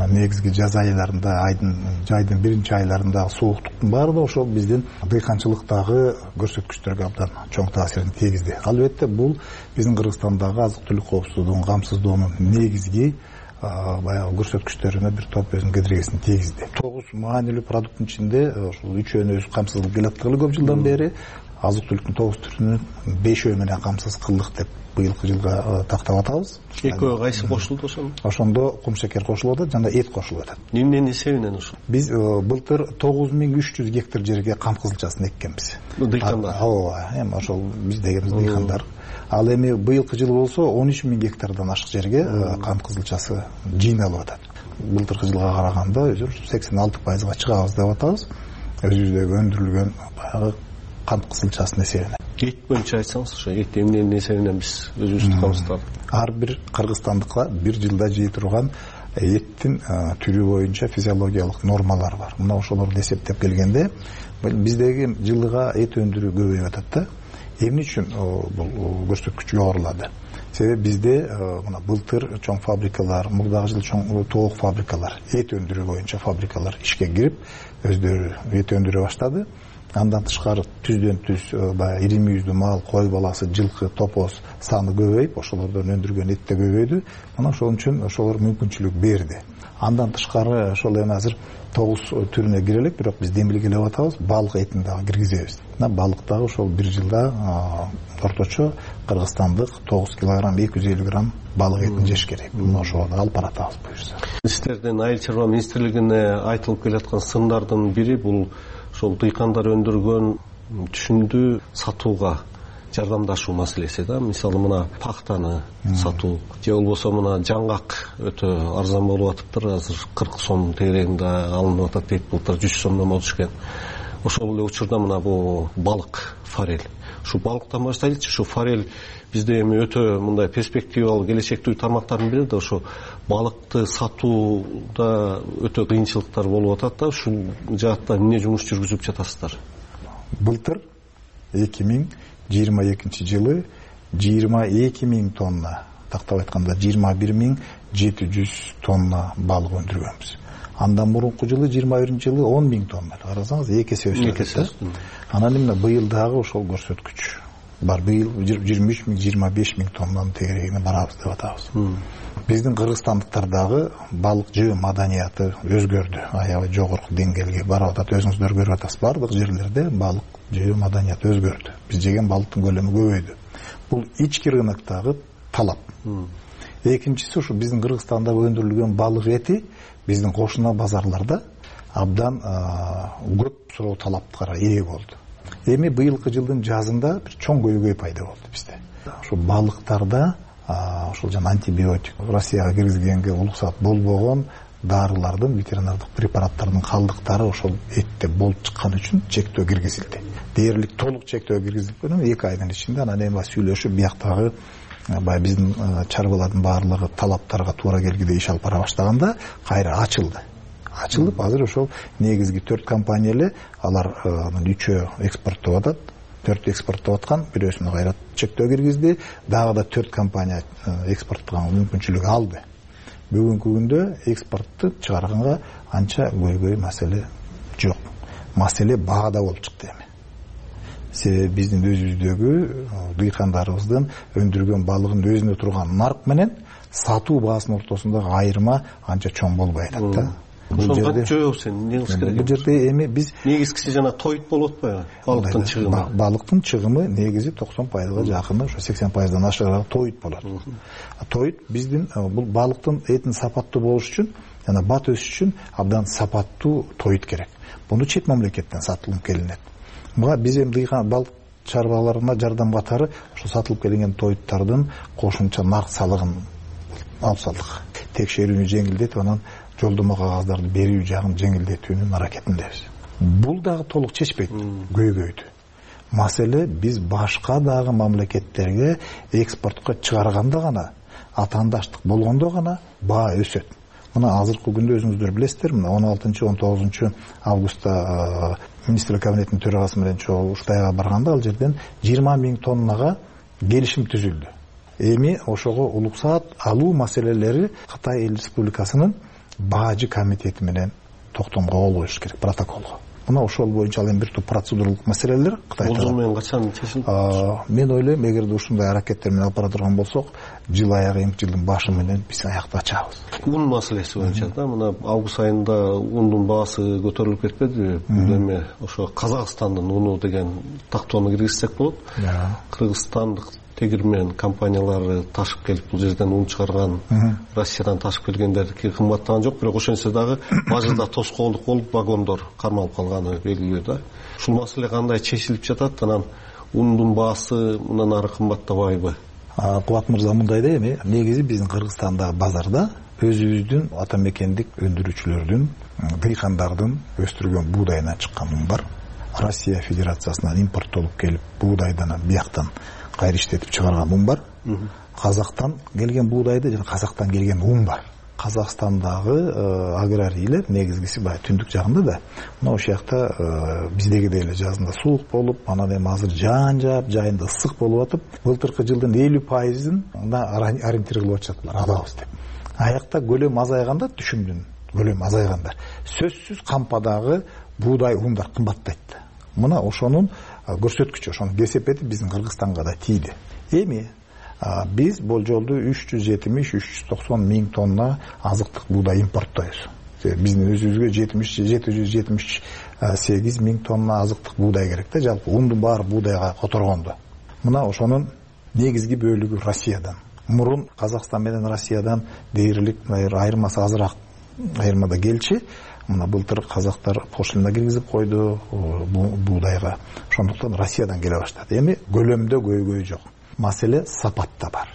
негизги жаз айларында, айдын жайдын биринчи айларында сууктуктун баары да ошол биздин дыйканчылыктагы көрсөткүчтөргө абдан чоң таасирин тийгизди. Албетте бул биздин Кыргызстандагы азык-түлүк коопсуздугун камсыздоонун негизги баягы көрсөткүчтөрүнө бир топ өзүнүн кедергисин тийгизди. Тогуз маанилүү продукттун ичинде ошол үчөөнү өзү камсыз келаткалы көп жылдан бери азык-түлүктүн тогуз түрүнүн бешөө менен камсыз кылдык деп быйылкы жылга тактап атабыз. Экөө кайсы кошулду ошондо? Ошондо кумшекер кошулуп атат жана эт кошулуп атат. Эмненин эсебинен ошол? Биз былтыр тогуз миң үч жүз гектар жерге кам кызылчасын эккенбиз. Дыйкандар. Ооба, эми ошол биз дегенибиз дыйкандар. Ал эми быйылкы жылы болсо он үч миң гектардан ашык жерге кам кызылчасы жыйналып атат. Былтыркы жылга караганда сексен алты пайызга чыгабыз деп атабыз. Өзүбүздөгү өндүрүлгөн баягы кам кызылчасынын эсебинен. Эт боюнча айтсаңыз, ошо эт эмненин эсебинен биз өзүбүздү камсыздадык? Ар бир кыргызстандыкка бир жылда жей турган эттин түрү боюнча физиологиялык нормалар бар. Мына ошолорду эсептеп келгенде биздеги жылыга эт өндүрүү көбөйүп атат да. Эмне үчүн бул көрсөткүч жогорулады? Себеби бизде мына былтыр чоң фабрикалар, мурдагы жыл чоң тоок фабрикалар, эт өндүрүү боюнча фабрикалар ишке кирип, өздөрү эт өндүрө баштады. Андан тышкары түздөн түз баягы ири мүйүздүү мал, кой баласы, жылкы, топоз саны көбөйүп, ошолордон өндүргөн эт да көбөйдү. Мына ошол үчүн ошолор мүмкүнчүлүк берди. Андан тышкары ошол эми азыр тогуз түрүнө кире элек, бирок биз демилгелеп атабыз, балык этин дагы киргизебиз. Мына балык дагы ошол бир жылда орточо кыргызстандык тогуз килограмм эки жүз элүү грамм балык этин жеш керек. Мына ошого да алып баратабыз буюрса. Сиздердин Айыл чарба министрлигине айтылып келаткан сындардын бири бул ошол дыйкандар өндүргөн түшүмдү сатууга жардамдашуу маселеси да. Мисалы мына пахтаны сатуу же болбосо мына жаңгак өтө арзан болуп атыптыр. Азыр кырк сом тегерегинде алынып атат дейт. Былтыр жүз сомдон болуш экен. Ошол эле учурда мына бул балык, форель. Ушу балыктан баштайлычы. Ушу форель бизде эми өтө мындай перспективалуу, келечектүү тармактардын бири да. Ошо балыкты сатууда өтө кыйынчылыктар болуп атат да. Ушул жаатта эмне жумуш жүргүзүп жатасыздар? Былтыр эки миң жыйырма экинчи жылы жыйырма эки миң тонна, тактап айтканда жыйырма бир миң жети жүз тонна балык өндүргөнбүз. Андан мурунку жылы жыйырма биринчи жылы он миң тонна. Карасаңыз эки эсе өсүп. Анан эмне быйыл дагы ошол көрсөткүч бар. Быйыл жыйырма үч миң жыйырма беш миң тоннанын тегерегине барабыз деп атабыз. Биздин кыргызстандыктар дагы балык жөө маданияты өзгөрдү. Аябай жогорку деңгээлге барып атат. Өзүңүздөр көрүп атасыз. Бардык жерлерде балык жөө маданияты өзгөрдү. Биз жеген балыктын көлөмү көбөйдү. Бул ички рыноктогу талап. Экинчиси ушу биздин Кыргызстанда өндүрүлгөн балык эти биздин кошуна базарларда абдан көп суроо талаптарга ээ болду. Эми быйылкы жылдын жазында бир чоң көйгөй пайда болду бизде. Ошо балыктарда ошол жана антибиотик Россияга киргизгенге уруксат болбогон дарылардын, ветеринардык препараттардын калдыктары ошол этте болуп чыккан үчүн чектөө киргизилди. Дээрлик толук чектөө киргизилип койгон эки айдын ичинде анан эми сүйлөшүп бияктагы баягы биздин чарбалардын баардыгы талаптарга туура келгидей иш алып бара баштаганда кайра ачылды. Ачылып азыр ошол негизги төрт компания эле алар үчөө экспорттоп атат. төрт экспорттоп аткан, бирөөсүнө кайра чектөө киргизди, дагы да төрт компания экспорттоого мүмкүнчүлүк алды. Бүгүнкү күндө экспортту чыгарганга анча көйгөй маселе жок. Маселе баада болуп чыкты эми. Себеби биздин өзүбүздөгү дыйкандарыбыздын өндүргөн балыгын өзүнө турган нарк менен сатуу баасынын ортосундагы айырма анча чоң болбой атат да. Ошону кантип жоебуз эми, эмне кылыш керек? Бул жерде эми биз негизгиси жана тоют болуп атпайбы? Балыктын чыгымы. Балыктын чыгымы негизи токсон пайызга жакыны, ошо сексен пайыздан ашыгыраак тоют болот. Тоют биздин бул балыктын этин сапаттуу болуш үчүн жана бат өсүш үчүн абдан сапаттуу тоют керек. Буну чет мамлекеттен сатылып келинет. Буга биз эми дыйкан балык чарбаларына жардам катары ошо сатылып келинген тоюттардын кошумча нарк салыгын алып салдык. Текшерүүнү жеңилдетип, анан жолдомо кагаздарды берүү жагын жеңилдетүүнүн аракетиндебиз. Бул дагы толук чечпейт көйгөйдү. Маселе биз башка дагы мамлекеттерге экспортко чыгарганда гана, атаандаштык болгондо гана баа өсөт. Мына азыркы күндө өзүңүздөр билесиздер, мына он алтынчы он тогузунчу августта министрлик кабинетинин төрагасы менен чогуу Кытайга барганда ал жерден жыйырма миң тоннага келишим түзүлдү. Эми ошого уруксаат алуу маселелери Кытай Эл Республикасынын баажы комитети менен токтомго кол коюш керек, протоколго. Мына ошол боюнча ал эми бир топ процедуралык маселелер Кытайда. Бул менен качан чечилет? Мен ойлойм, эгерде ушундай аракеттер менен алып бара турган болсок, жыл аягы эмки жылдын башы менен биз аякты ачабыз. Un маселеси боюнча да, мына август айында ундун баасы көтөрүлүп кетпедиби? Бул эми ошо Казакстандын уну деген тактоону киргизсек болот. Кыргызстандык тегирмен компаниялары ташып келип бул жерден ун чыгарган, Россиядан ташып келгендердики кымбаттаган жок, бирок ошентсе дагы бажырда тоскоолдук болуп вагондор кармалып калганы белгилүү да. Ушул маселе кандай чечилип жатат, анан ундун баасы мындан ары кымбаттабайбы? Кубат мырза, мындай да эми негизи биздин Кыргызстандагы базарда өзүбүздүн ата мекендик өндүрүүчүлөрдүн, дыйкандардын өстүргөн буудайынан чыккан ун бар. Россия Федерациясынан импорттолуп келип буудайдан бияктан кайра иштетип чыгарган ун бар. Казактан келген буудайды жана Казактан келген ун бар. Казакстандагы аграрийлер негизгиси баягы түндүк жагында да. Мына ошол жакта биздегидей эле жазында суук болуп, анан эми азыр жаан жаап, жайында ысык болуп атып, былтыркы жылдын элүү пайызын ориентир кылып атышат булар, алабыз деп. Аякта көлөм азайганда, түшүмдүн көлөмү азайганда, сөзсүз кампадагы буудай ундар кымбаттайт. Мына ошонун көрсөткүчү, ошонун кесепети биздин Кыргызстанга да тийди. Эми биз болжолду үч жүз жетимиш үч жүз токсон миң тонна азыктык буудай импорттойбуз. Биздин өзүбүзгө жети жүз жетимиш сегиз миң тонна азыктык буудай керек да, жалпы ундун баары буудайга которгондо. Мына ошонун негизги бөлүгү Россиядан. Мурун Казакстан менен Россиядан дээрлик айырмасы азыраак айырмада келчи. Мына былтыр казактар пошлина киргизип койду буудайга. Ошондуктан Россиядан келе баштады. Эми көлөмдө көйгөй жок. Маселе сапатта бар.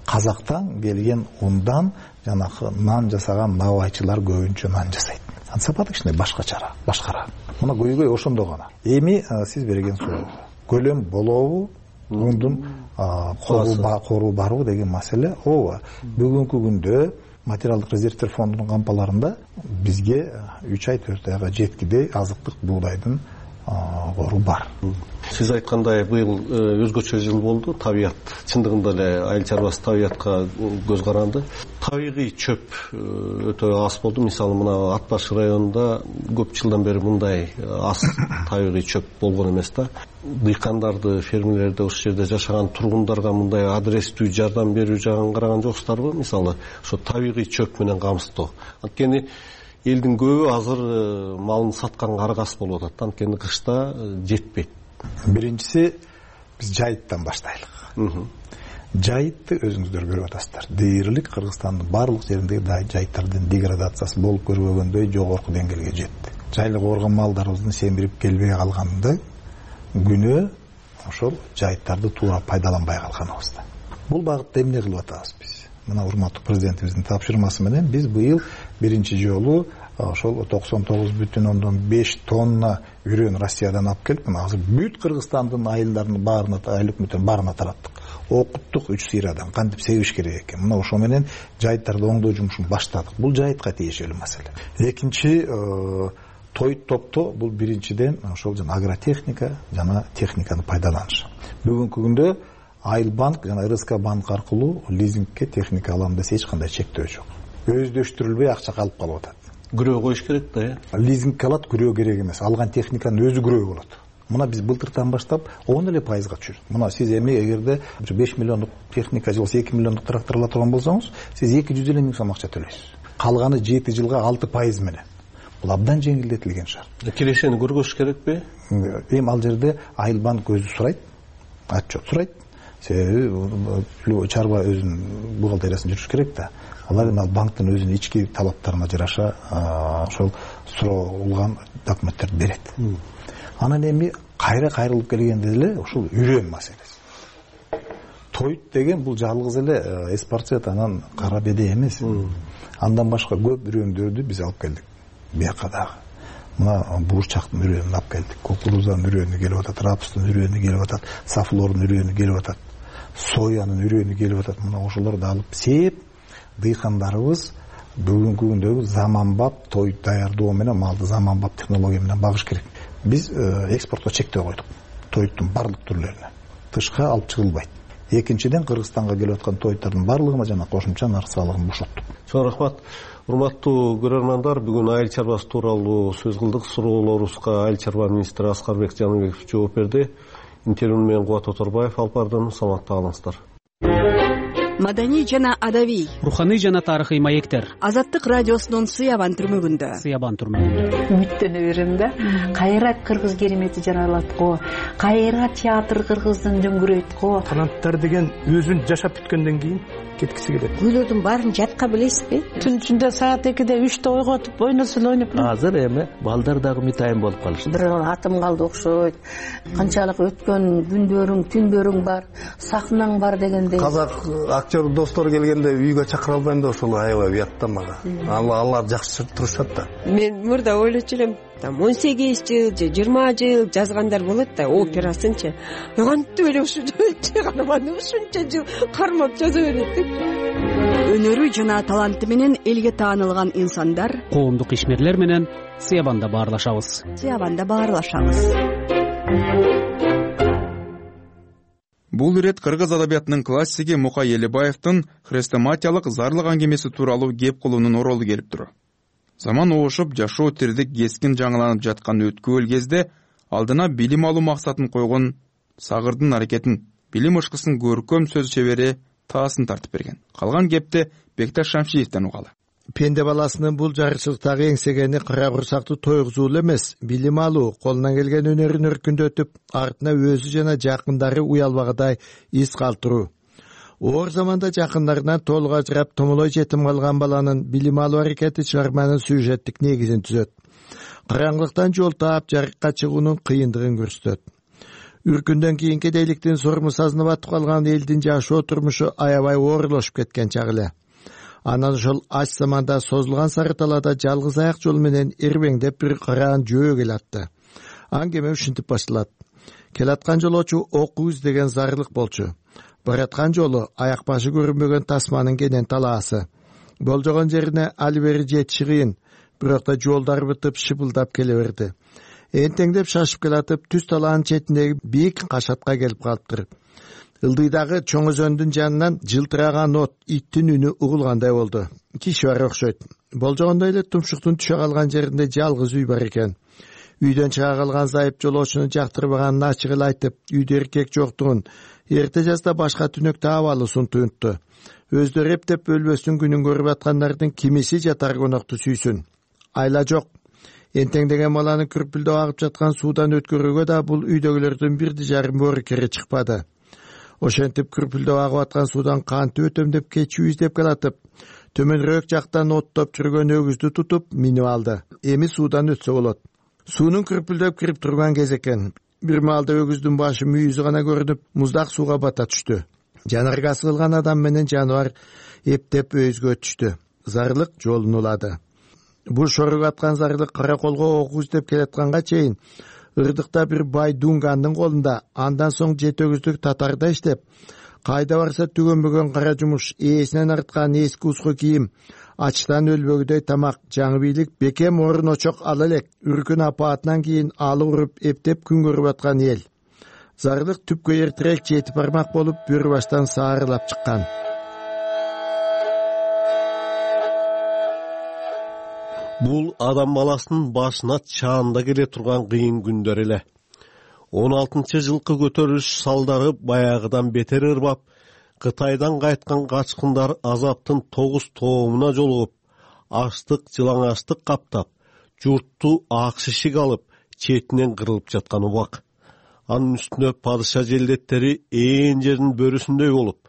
Казактан келген ундан жанакы нан жасаган набайчылар көбүнчө нан жасайт. Анын сапаты кичине башкачараак, башкараак. Мына көйгөй ошондо гана. Эми сиз берген суроо. Көлөм болобу? Ундун коруу барбы деген маселе. Ооба. Бүгүнкү күндө материалдык резервтер фондунун кампаларында бизге үч ай төрт айга жеткидей азыктык буудайдын кору бар. Сиз айткандай быйыл өзгөчө жыл болду. Табият чындыгында эле айыл чарбасы табиятка көз каранды. Табигый чөп өтө аз болду. Мисалы мына Ат баш районунда көп жылдан бери мындай аз табигый чөп болгон эмес да. Дыйкандарды, фермерлерди, ошол жерде жашаган тургундарга мындай адрестүү жардам берүү жагын караган жоксуздарбы? Мисалы ошо табигый чөп менен камсыздоо. Анткени элдин көбү азыр малын сатканга аргасыз болуп атат. Анткени кышта жетпейт. Биринчиси биз жайыттан баштайлык. Жайытты өзүңүздөр көрүп атасыздар. Дээрлик Кыргызстандын барлык жериндеги жайыттардын деградациясы болуп көрбөгөндөй жогорку деңгээлге жетти. жайлык оорган малдарыбыздын семирип келбей калганында күнөө ошол жайыттарды туура пайдаланбай калганыбызда. Бул багытта эмне кылып атабыз биз? Мына урматтуу президентибиздин тапшырмасы менен биз быйыл биринчи жолу ошол токсон тогуз бүтүн ондон беш тонна үрөөн Россиядан алып келип, мына азыр бүт Кыргызстандын айылдарын баарына, айыл өкмөттөрүн баарына тараттык. Окуттук үч сыйрадан кантип себиш керек экен. Мына ошо менен жайыттарды оңдоо жумушун баштадык. Бул жайытка тиешелүү маселе. Экинчи тоyut топто бул биринчиден ошол жана агротехника жана техниканы пайдаланыш. Бүгүнкү күндө Айыл банк жана эр эс ка банк аркылуу лизингке техника алам десе эч кандай чектөө жок. Өздөштүрүлбөй акча калып калып атат. Күрөө коюш керек да, э? Лизингке алат, күрөө керек эмес. Алган техниканын өзү күрөө болот. Мына биз былтыртан баштап он эле пайызга түшүрдүк. Мына сиз эми эгерде беш миллиондук техника же болбосо эки миллиондук трактор ала турган болсоңуз, сиз эки жүз элүү миң сом акча төлөйсүз. Калганы жети жылга алты пайыз менен. Бул абдан жеңилдетилген шарт. Кирешени көргөзүш керекпи? Эми ал жерде Айыл банк өзү сурайт, отчет сурайт. Себеби чарба өзүнүн бухгалтериясын жүрүш керек да. Алар эми банктын өзүнүн ички талаптарына жараша ошол суралган документтерди берет. Анан эми кайра кайрылып келгенде эле ушул үрөөн маселеси. Тоyut деген бул жалгыз эле эспарцет анан кара беде эмес. Андан башка көп үрөөндөрдү биз алып келдик. Бияка дагы. Мына бурчактын үрөөнүн алып келдик. Кукурузанын үрөөнү келип атат, рапстын үрөөнү келип атат, сафлордун үрөөнү келип атат, соянын үрөөнү келип атат. Мына ошолорду алып сеп, дыйкандарыбыз бүгүнкү күндөгү заманбап тоyut даярдоо менен малды заманбап технология менен багыш керек. Биз экспортко чектөө койдук. Тоyuттун барлык түрлөрүнө. Тышка алып чыгылбайт. Экинчиден Кыргызстанга келип аткан тоyuттардын барлыгына жана кошумча нарк салыгын бошоттук. Чоң рахмат. Урматтуу көрөрмандар, бүгүн айыл чарбасы тууралуу сөз кылдык. Суроолорубузга айыл чарба министри Аскарбек Жаныбеков жооп берди. Интервьюну менен Кубат Оторбаев алып бардым. Саламатта калыңыздар. Маданий жана адабий, руханий жана тарыхый маектер. Азаттык радиосунун Сыябан түрмөгүндө. Сыябан түрмөгүндө. Үмүттөнө берем да. Кайра кыргыз керемети жаралат го. Кайра театр кыргыздын дөңгүрөйт го. Канаттар деген өзүн жашап бүткөндөн кийин кеткиси келет. Күйлөрдүн баарын жатка билесизби? Түн ичинде саат экиде үчтө ойготуп ойносун ойноп. Азыр эми балдар дагы мытайын болуп калышты. Бир атым калды окшойт. Канчалык өткөн күндөрүң, түндөрүң бар, сахнаң бар дегендей. Казак актер достор келгенде үйгө чакыра албайм да ошол аябай уят да мага. Алар жакшы турушат да. Мен мурда ойлочу элем, там он сегиз жыл же жыйырма жыл жазгандар болот да, операсынчы. Кантип эле ушул чыгарманы ушунча жыл кармап жаза берет деп. Өнөрү жана таланты менен элге таанылган инсандар, коомдук ишмерлер менен Сыябанда баарлашабыз. Сыябанда баарлашабыз. Бул ирет кыргыз адабиятынын классиги Мукай Элебаевдин хрестоматиялык зарлык аңгемеси тууралуу кеп кылуунун оролу келип тур. Заман оошуп, жашоо тирдик кескин жаңыланып жаткан өткүл кезде алдына билим алуу максатын койгон Сагырдын аракетин, билим ышкысын көркөм сөз чебери таасын тартып берген. Калган кепти Бекташ Шамшиевден угалы. Пенде баласынын бул жарычылыктагы эңсегени кыра курсактуу тойгузуу эмес, билим алуу, колунан келген өнөрүн өркүндөтүп, артына өзү жана жакындары уялбагыдай из калтыруу. Оор заманда жакындарынан толук ажырап, томолой жетим калган баланын билим алуу аракети чыгарманын сюжеттик негизин түзөт. Караңгылыктан жол таап, жарыкка чыгуунун кыйындыгын көрсөтөт. Үркүндөн кийин кедейликтин сорму сазына батып калган элдин жашоо турмушу аябай оорлошуп кеткен чак эле. Анан ошол ач заманда созулган сары талаада жалгыз аяк жол менен эрбеңдеп бир караан жөө келатты. Аңгеме ушинтип башталат. Келаткан жолоочу окуу издеген зарлык болчу. Бараткан жолу аяк башы көрүнбөгөн тасманын кенен талаасы. Болжогон жерине али бери жетиши кыйын, бирок да жолдар бытып шыпылдап келе берди. Энтеңдеп шашып келатып, түз талаанын четиндеги бийик кашатка келип калыптыр. Ылдыйдагы чоң өзөндүн жанынан жылтыраган от, иттин үнү угулгандай болду. Киши бар окшойт. Болжогондой эле тумшуктун түшө калган жеринде жалгыз үй бар экен. Үйдөн чыга калган зайып жолоочуну жактырбаганын ачык эле айтып, үйдө эркек жоктугун, эрте жазда башка түнөктө абалысын туюнтту. Өздөрү эптеп өлбөстүн күнүн көрүп аткандардын кимиси жатар конокту сүйсүн. Айла жок. Энтеңдеген баланы күрпүлдө агып жаткан суудан өткөрүүгө да бул үйдөгүлөрдүн бирди жарым боору кере чыкпады. Ошентип күрпүлдөп агып аткан суудан кантип өтөм деп кечүү издеп келатып, төмөнүрөөк жактан оттоп жүргөн өгүздү тутуп минип алды. Эми суудан өтсө болот. Суунун күрпүлдөп кирип турган кез экен. Бир маалда өгүздүн башы мүйүзү гана көрүнүп, муздак сууга бата түштү. Жанаргасы кылган адам менен жаныбар эптеп өйүзгө түштү. Зарлык жолун улады. Бул шорук аткан зарлык караколго окуу издеп келатканга чейин ырдыкта бир бай дунгандын колунда, андан соң жет өгүздүк татарда иштеп, кайда барса түгөнбөгөн кара жумуш, ээсинен арткан эски уску кийим, ачтан өлбөгүдөй тамак, жаңы бийлик, бекем орун очок ала элек, үркүн апаатынан кийин алы уруп эптеп күн көрүп аткан эл. Зарлык түпкө эртерээк жети бармак болуп, бөрү баштан саарылап чыккан. Бул адам баласынын башына чаанда келе турган кыйын күндөр эле. он алтынчы жылкы көтөрүлүш салдары баягыдан бетер ырбап, Кытайдан кайткан качкындар азаптын тогуз тоомуна жолугуп, аштык, жылаңачтык каптап, журтту ак шишик алып, четинен кырылып жаткан убак. Анын үстүнө падыша желдеттери ээн жердин бөрүсүндөй болуп,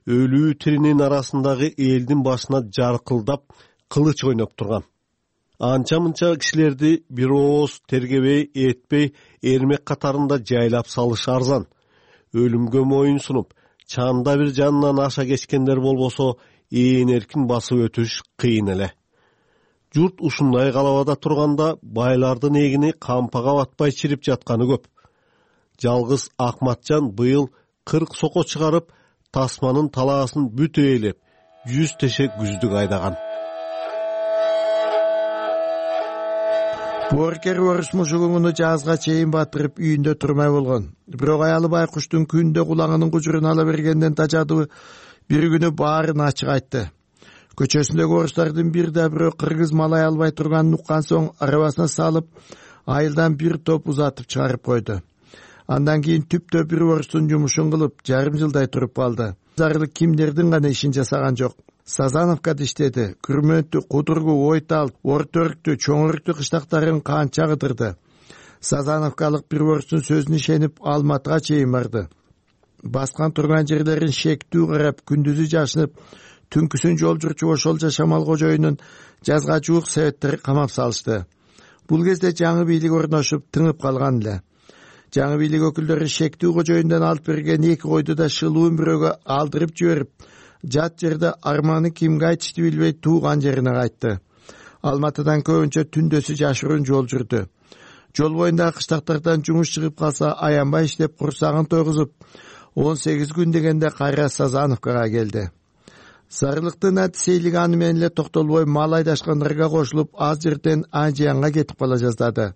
өлүү тиринин арасындагы элдин башына жаркылдап, кылыч ойноп турган. Анча-мынча кишилерди бир ооз тергебей, этпей, эрмек катарында жайлап салыш арзан. Өлүмгө моюн сунуп, чанда бир жанынан аша кечкендер болбосо, ээн эркин басып өтүш кыйын эле. Журт ушундай калабада турганда, байлардын эгини кампага батпай чирип жатканы көп. Жалгыз Акматжан быйыл кырк сoko чыгарып, тасманын талаасын бүт ээлеп, жүз теше күздүк айдаган. Боркер орус мужугуну жазга чейин батырып үйүндө турмай болгон. Бирок аялы байкуштун күндө кулагынын кужурун ала бергенден тажадыбы бир күнү баарын ачык айтты. Көчөсүндөгү орустардын бир да бирөө кыргыз малай албай турганын уккан соң арабасына салып, айылдан бир топ узатып чыгарып койду. Андан кийин түптө бир орустун жумушун кылып, жарым жылдай туруп калды. Зарлык кимдердин гана ишин жасаган жок. Сазановкада иштеди. Күрмөнтү, Кудургу, Ойтал, Ортөрктү, Чоңөрүктү кыштактарын канча кыдырды. Сазановкалык бир орустун сөзүнө ишенип Алматыга чейин барды. Баскан турган жерлерин шектүү карап, күндүзү жашынып, түнкүсүн жол жүрчү ошол жашамал кожоюнун жазга жуук себеттери камап салышты. Бул кезде жаңы бийлик орношуп, тыңып калган эле. Жаңы бийлик өкүлдөрү шектүү кожоюндан алып берген эки койду да шылуун бирөөгө алдырып жиберип, жат жерде арманы кимге айтышты билбей тууган жерине кайтты. Алматыдан көбүнчө түндөсү жашыруун жол жүрдү. Жол боюндагы кыштактардан жумуш чыгып калса, аянбай иштеп курсагын тойгузуп, он сегиз күн дегенде кайра Сазановкага келди. Зарлыктын атисейлиги аны менен эле токтолбой мал айдашкандарга кошулуп, аз жерден Анжиянга кетип кала жаздады.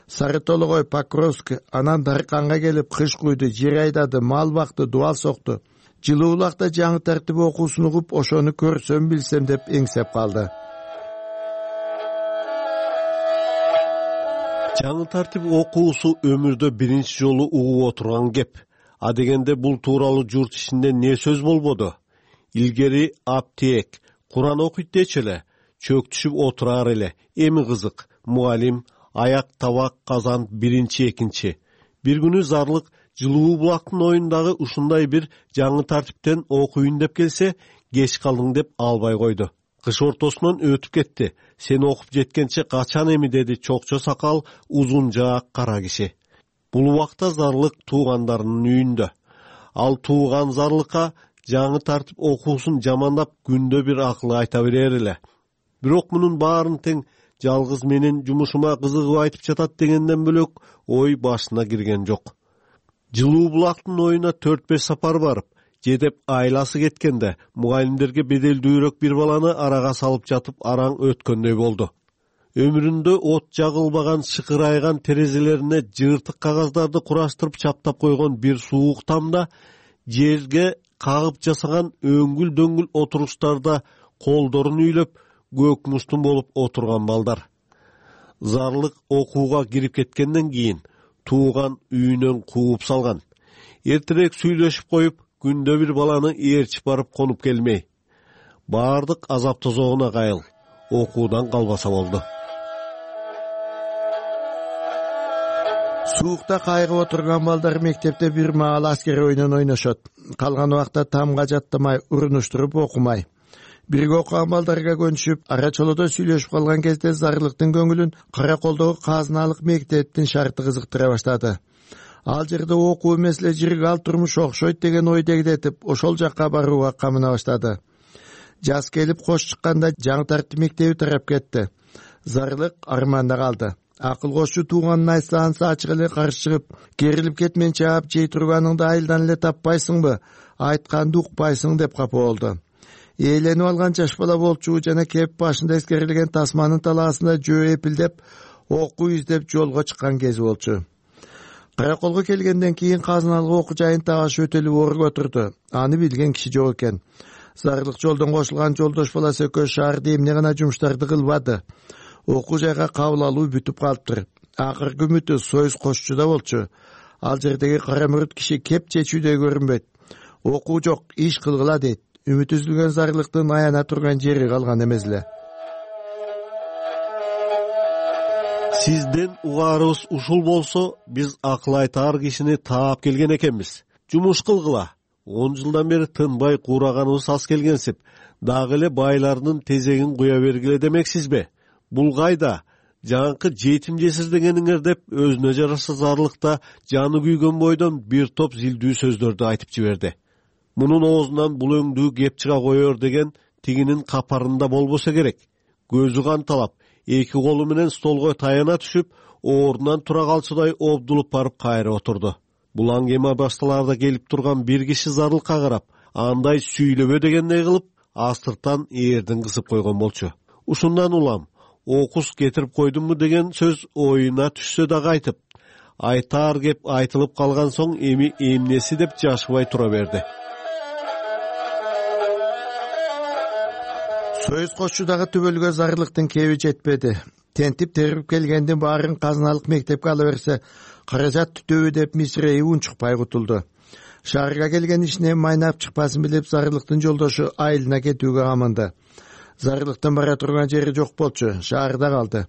Сары Тологой, Покровск, анан Дарканга келип кыш куйду, жер айдады, мал бакты, дубал сокту. Жылуу булакта жаңы тартип окуусун угуп, ошону көрсөм билсем деп эңсеп калды. Жаңы тартип окуусу өмүрдө биринчи жолу угуп отурган кеп. А дегенде бул тууралуу журт ичинде не сөз болбоду? Илгери аптек, Куран окуйт дечи эле, чөктүшүп отурар эле. Эми кызык, мугалим, аяк, табак, казан биринчи, экинчи. Бир күнү Зарлык Жылуу булактын оюндагы ушундай бир жаңы тартиптен окуйун деп келсе, кеч калдың деп албай койду. Кыш ортосунан өтүп кетти. Сен окуп жеткенче качан эми, деди чокчо сакал, узун жаак кара киши. Бул убакта Зарлык туугандарынын үйүндө. Ал тууган Зарлыкка жаңы тартип окуусун жамандап күндө бир акыл айта берер эле. Бирок мунун баарын тең жалгыз менин жумушума кызыгып айтып жатат дегенден бөлөк ой башына кирген жок. Жылуу булактын оюна төрт беш сапар барып, жедеп айласы кеткенде, мугалимдерге беделдүүрөөк бир баланы арага салып жатып араң өткөндөй болду. Өмүрүндө от жагылбаган, шыкырайган терезелерине жыртык кагаздарды кураштырып чаптап койгон бир суук тамда, жерге кагып жасаган өңгүл дөңгүл отуруштарда колдорун үйлөп, көк муштун болуп отурган балдар. Зарлык окууга кирип кеткенден кийин тууган үйүнөн кууп салган. Эртерээк сүйлөшүп коюп, күндө бир баланы ээрчип барып конуп келмей. Баардык азап тозогуна кайыл, окуудан калбаса болду. Суукта кайгып отурган балдар мектепте бир маал аскер оюнун ойношот. калган убакта тамга жаттамай, урунуштуруп окумай. Бирге окуган балдарга көнүшүп, ара чолодо сүйлөшүп калган кезде Зарылыктын көңүлүн Кара колдогу казыналык мектептин шарты кызыктыра баштады. Ал жерде окуу эмес эле жирге ал турмуш окшойт деген ой дегдетип, ошол жакка барууга камына баштады. Жаз келип кош чыкканда жаңы тартип мектеби тарап кетти. Зарылык арманда калды. Акыл кошчу тууганын айтса анса ачык эле каршы чыгып, керилип кетменче ап жей турганыңды айылдан эле таппайсыңбы, айтканды укпайсың деп капа болду. Ээленип алган жаш бала болчу жана кеп башында эскерилген тасманын талаасында жөө эпилдеп, окуу издеп жолго чыккан кези болчу. Кара колго келгенден кийин казыналык окуу жайын тагаш өтөлүп орго отурду. Аны билген киши жок экен. Зарылык жолдон кошулган жолдош баласы экөө шаарда эмне гана жумуштарды кылбады. Окуу жайга кабыл алуу бүтүп калыптыр. Акыркы үмүтү союз кошчуда болчу. Ал жердеги кара мүрүт киши кеп чечүүдөй көрүнбөйт. Окуу жок, иш кылгыла дейт. Үмүт үзүлгөн Зарылыктын аяна турган жери калган эмес эле. Сизден угаарыбыз ушул болсо, биз акыл айтаар кишини таап келген экенбиз. Жумуш кылгыла. он жылдан бери тынбай куураганыбыз аз келгенсип, дагы эле байлардын тезегин куя бергиле демексизби? Бул кайда? Жаңкы жетим жесир дегениңер деп өзүнө жараша Зарылыкта жаны күйгөн бойдон бир топ зилдүү сөздөрдү айтып жиберди. Мунун оозунан бул өңдүү кеп чыга коёр деген тигинин капарында болбосо керек. Көзү канталап, эки колу менен столго таяна түшүп, ордунан тура калчудай обдулуп барып кайра отурду. Бул аңгеме башталарда келип турган бир киши Зарылыкка карап, андай сүйлөбө дегендей кылып, астыртан эрдин кысып койгон болчу. Ушундан улам, окус кетирип койдумбу деген сөз оюна түшсө дагы айтып, айтаар кеп айтылып калган соң эми эмнеси деп жашыбай тура берди. Союз кошчудагы түбөлгө Зарылыктын кеби жетпеди. Тентип терип келгендин баарын казыналык мектепке ала берсе, каражат түтөбү деп мисирейи унчукпай кутулду. Шаарга келген ишине майнап чыкпасын билип, Зарылыктын жолдошу айылына кетүүгө камынды. Зарылыктын бара турган жери жок болчу, шаарда калды.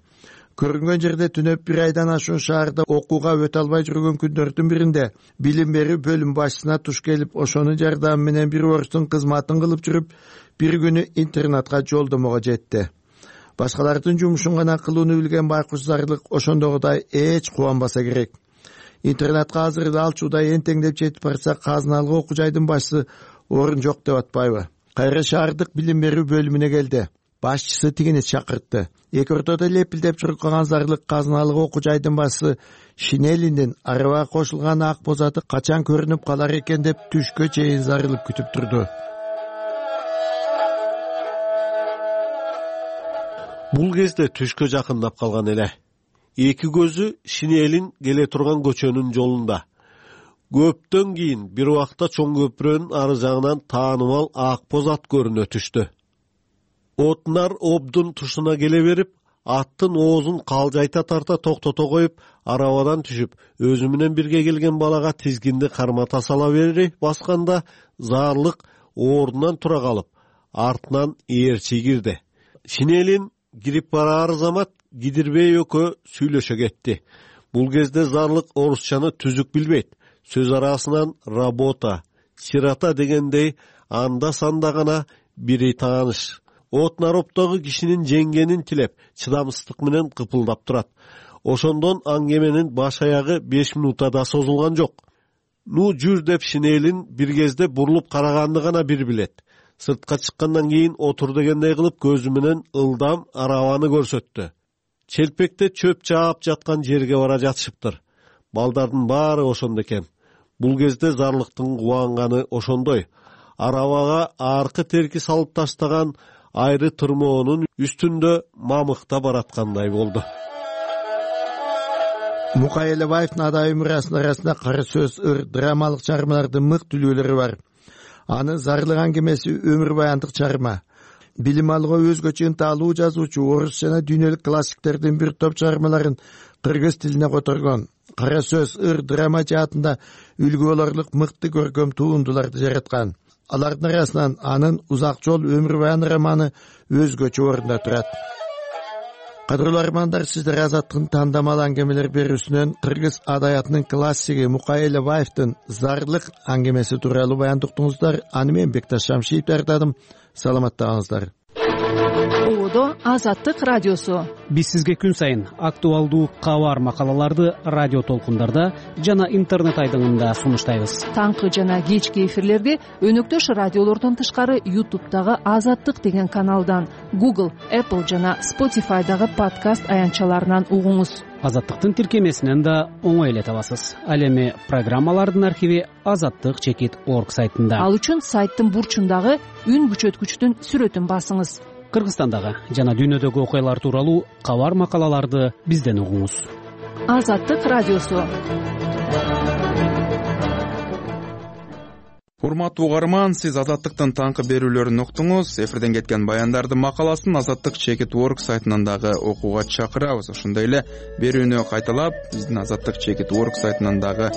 Көрүнгөн жерде түнөп бир айдан ашуун шаарда окууга өтө албай жүргөн күндөрдүн биринде билим берүү бөлүм башчысына туш келип, ошонун жардамы менен бир орустун кызматын кылып жүрүп, бир күнү интернатка жолдомого жетти. Башкалардын жумушун гана кылууну билген байкуш Зарылык ошондогудай эч кубанбаса керек. Интернатка азыр алчуудай энтеңдеп жетип барса, казыналык окуу жайдын башчысы орун жок деп атпайбы? Кайра шаардык билим берүү бөлүмүнө келди. Башчысы тигини чакыртты. Эки ортодо лепилдеп чуркаган Зарылык казыналык окуу жайдын башчысы Шинелиндин арабага кошулган ак бозаты качан көрүнүп калар экен деп түшкө чейин зарылып күтүп турду. Бул кезде түшкө жакындап калган эле. Эки көзү Шинелин келе турган көчөнүн жолунда. Көптөн кийин бир убакта чоң көпүрөнүн ары жагынан таанымал ак боз ат көрүнө түштү. Отнар обдун тушуна келе берип, аттын оозун калжайта тарта токтото коюп, арабадан түшүп, өзү менен бирге келген балага тизгинди кармата сала бери басканда, Зарылык ордунан тура калып, артынан ээрчи кирди. Шинелин кирип бараар замат Кидирбей экөө сүйлөшө кетти. Бул кезде Зарылык орусчаны түзүк билбейт. Сөз арасынан работа, сирата дегендей анда санда гана бири тааныш. Отнароптогу кишинин жеңгенин тилеп, чыдамсыздык менен кыпылдап турат. Ошондон аңгеменин баш аягы беш минутта да созулган жок. Ну жүр деп Шинелин бир кезде бурулуп караганды гана бир билет. Сыртка чыккандан кийин отур дегендей кылып көзү менен ылдам арабаны көрсөттү. Челпекте чөп чаап жаткан жерге бара жатышыптыр. Балдардын баары ошондо экен. Бул кезде Зарылыктын кубанганы ошондой. Арабага аркы терки салып таштаган айры тырмоонун үстүндө мамыкта бараткандай болду. Мукай Элебаевдин Адай өмүрасынын арасында кара сөз, ыр, драмалык чыгармалардын мык түлүүлөрү бар. Аны Зарылык аңгемеси өмүр баяндык чыгарма. Билим алууга өзгөчө ынталуу жазуучу орус жана дүйнөлүк классиктердин бир топ чыгармаларын кыргыз тилине которгон. Кара сөз, ыр, драма жаатында үлгү болорлук мыкты көркөм туындуларды жараткан. Алардын арасынан анын Узак жол өмүр баян романы өзгөчө орунда турат. Кадырлуу армандар, сиздер Азаттыктын тандамал аңгемелер берүүсүнөн кыргыз адаятынын классиги Мукай Элебаевдин Зарлык аңгемеси тууралуу баян уктуңуздар. Аны мен Бекташ Шамшиев даярдадым. Саламаттаңыздар. Оодо Азаттык радиосу. Биз сизге күн сайын актуалдуу кабар макалаларды радио толкундарда жана интернет айдыңында сунуштайбыз. Таңкы жана кечки эфирлерди өнөктөш радиолордон тышкары ютубтагы Азаттык деген каналдан, Google, Apple жана Spotify'дагы подкаст аянтчаларынан угуңуз. Азаттыктын тиркемесинен да оңой эле табасыз. Ал эми программалардын архиви азаттык чекит орг сайтында. Ал үчүн сайттын бурчундагы үн күчөткүчтүн сүрөтүн басыңыз. Кыргызстандагы жана дүйнөдөгү окуялар тууралуу кабар макалаларды бизден угуңуз. Азаттык радиосу. Урматтуу угарман, сиз Азаттыктын таңкы берүүлөрүн уктуңуз. Эфирден кеткен баяндардын макаласын азаттык чекит орг сайтынан дагы окууга чакырабыз. Ошондой эле берүүнү кайталап, биздин азаттык чекит орг сайтынан дагы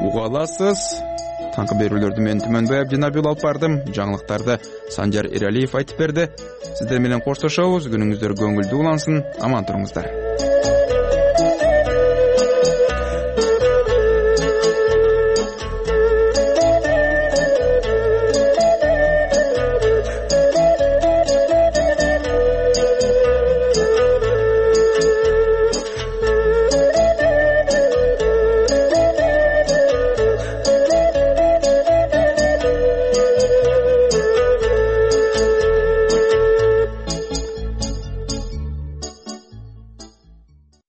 уга аласыз. Таңкы берүүлөрдү мен Түмөнбай Абдинабил алып бардым. Жаңылыктарды Санжар Эралиев айтып берди. Сиздер менен коштошобуз. Күнүңүздөр көңүлдүү улансын. Аман туруңуздар.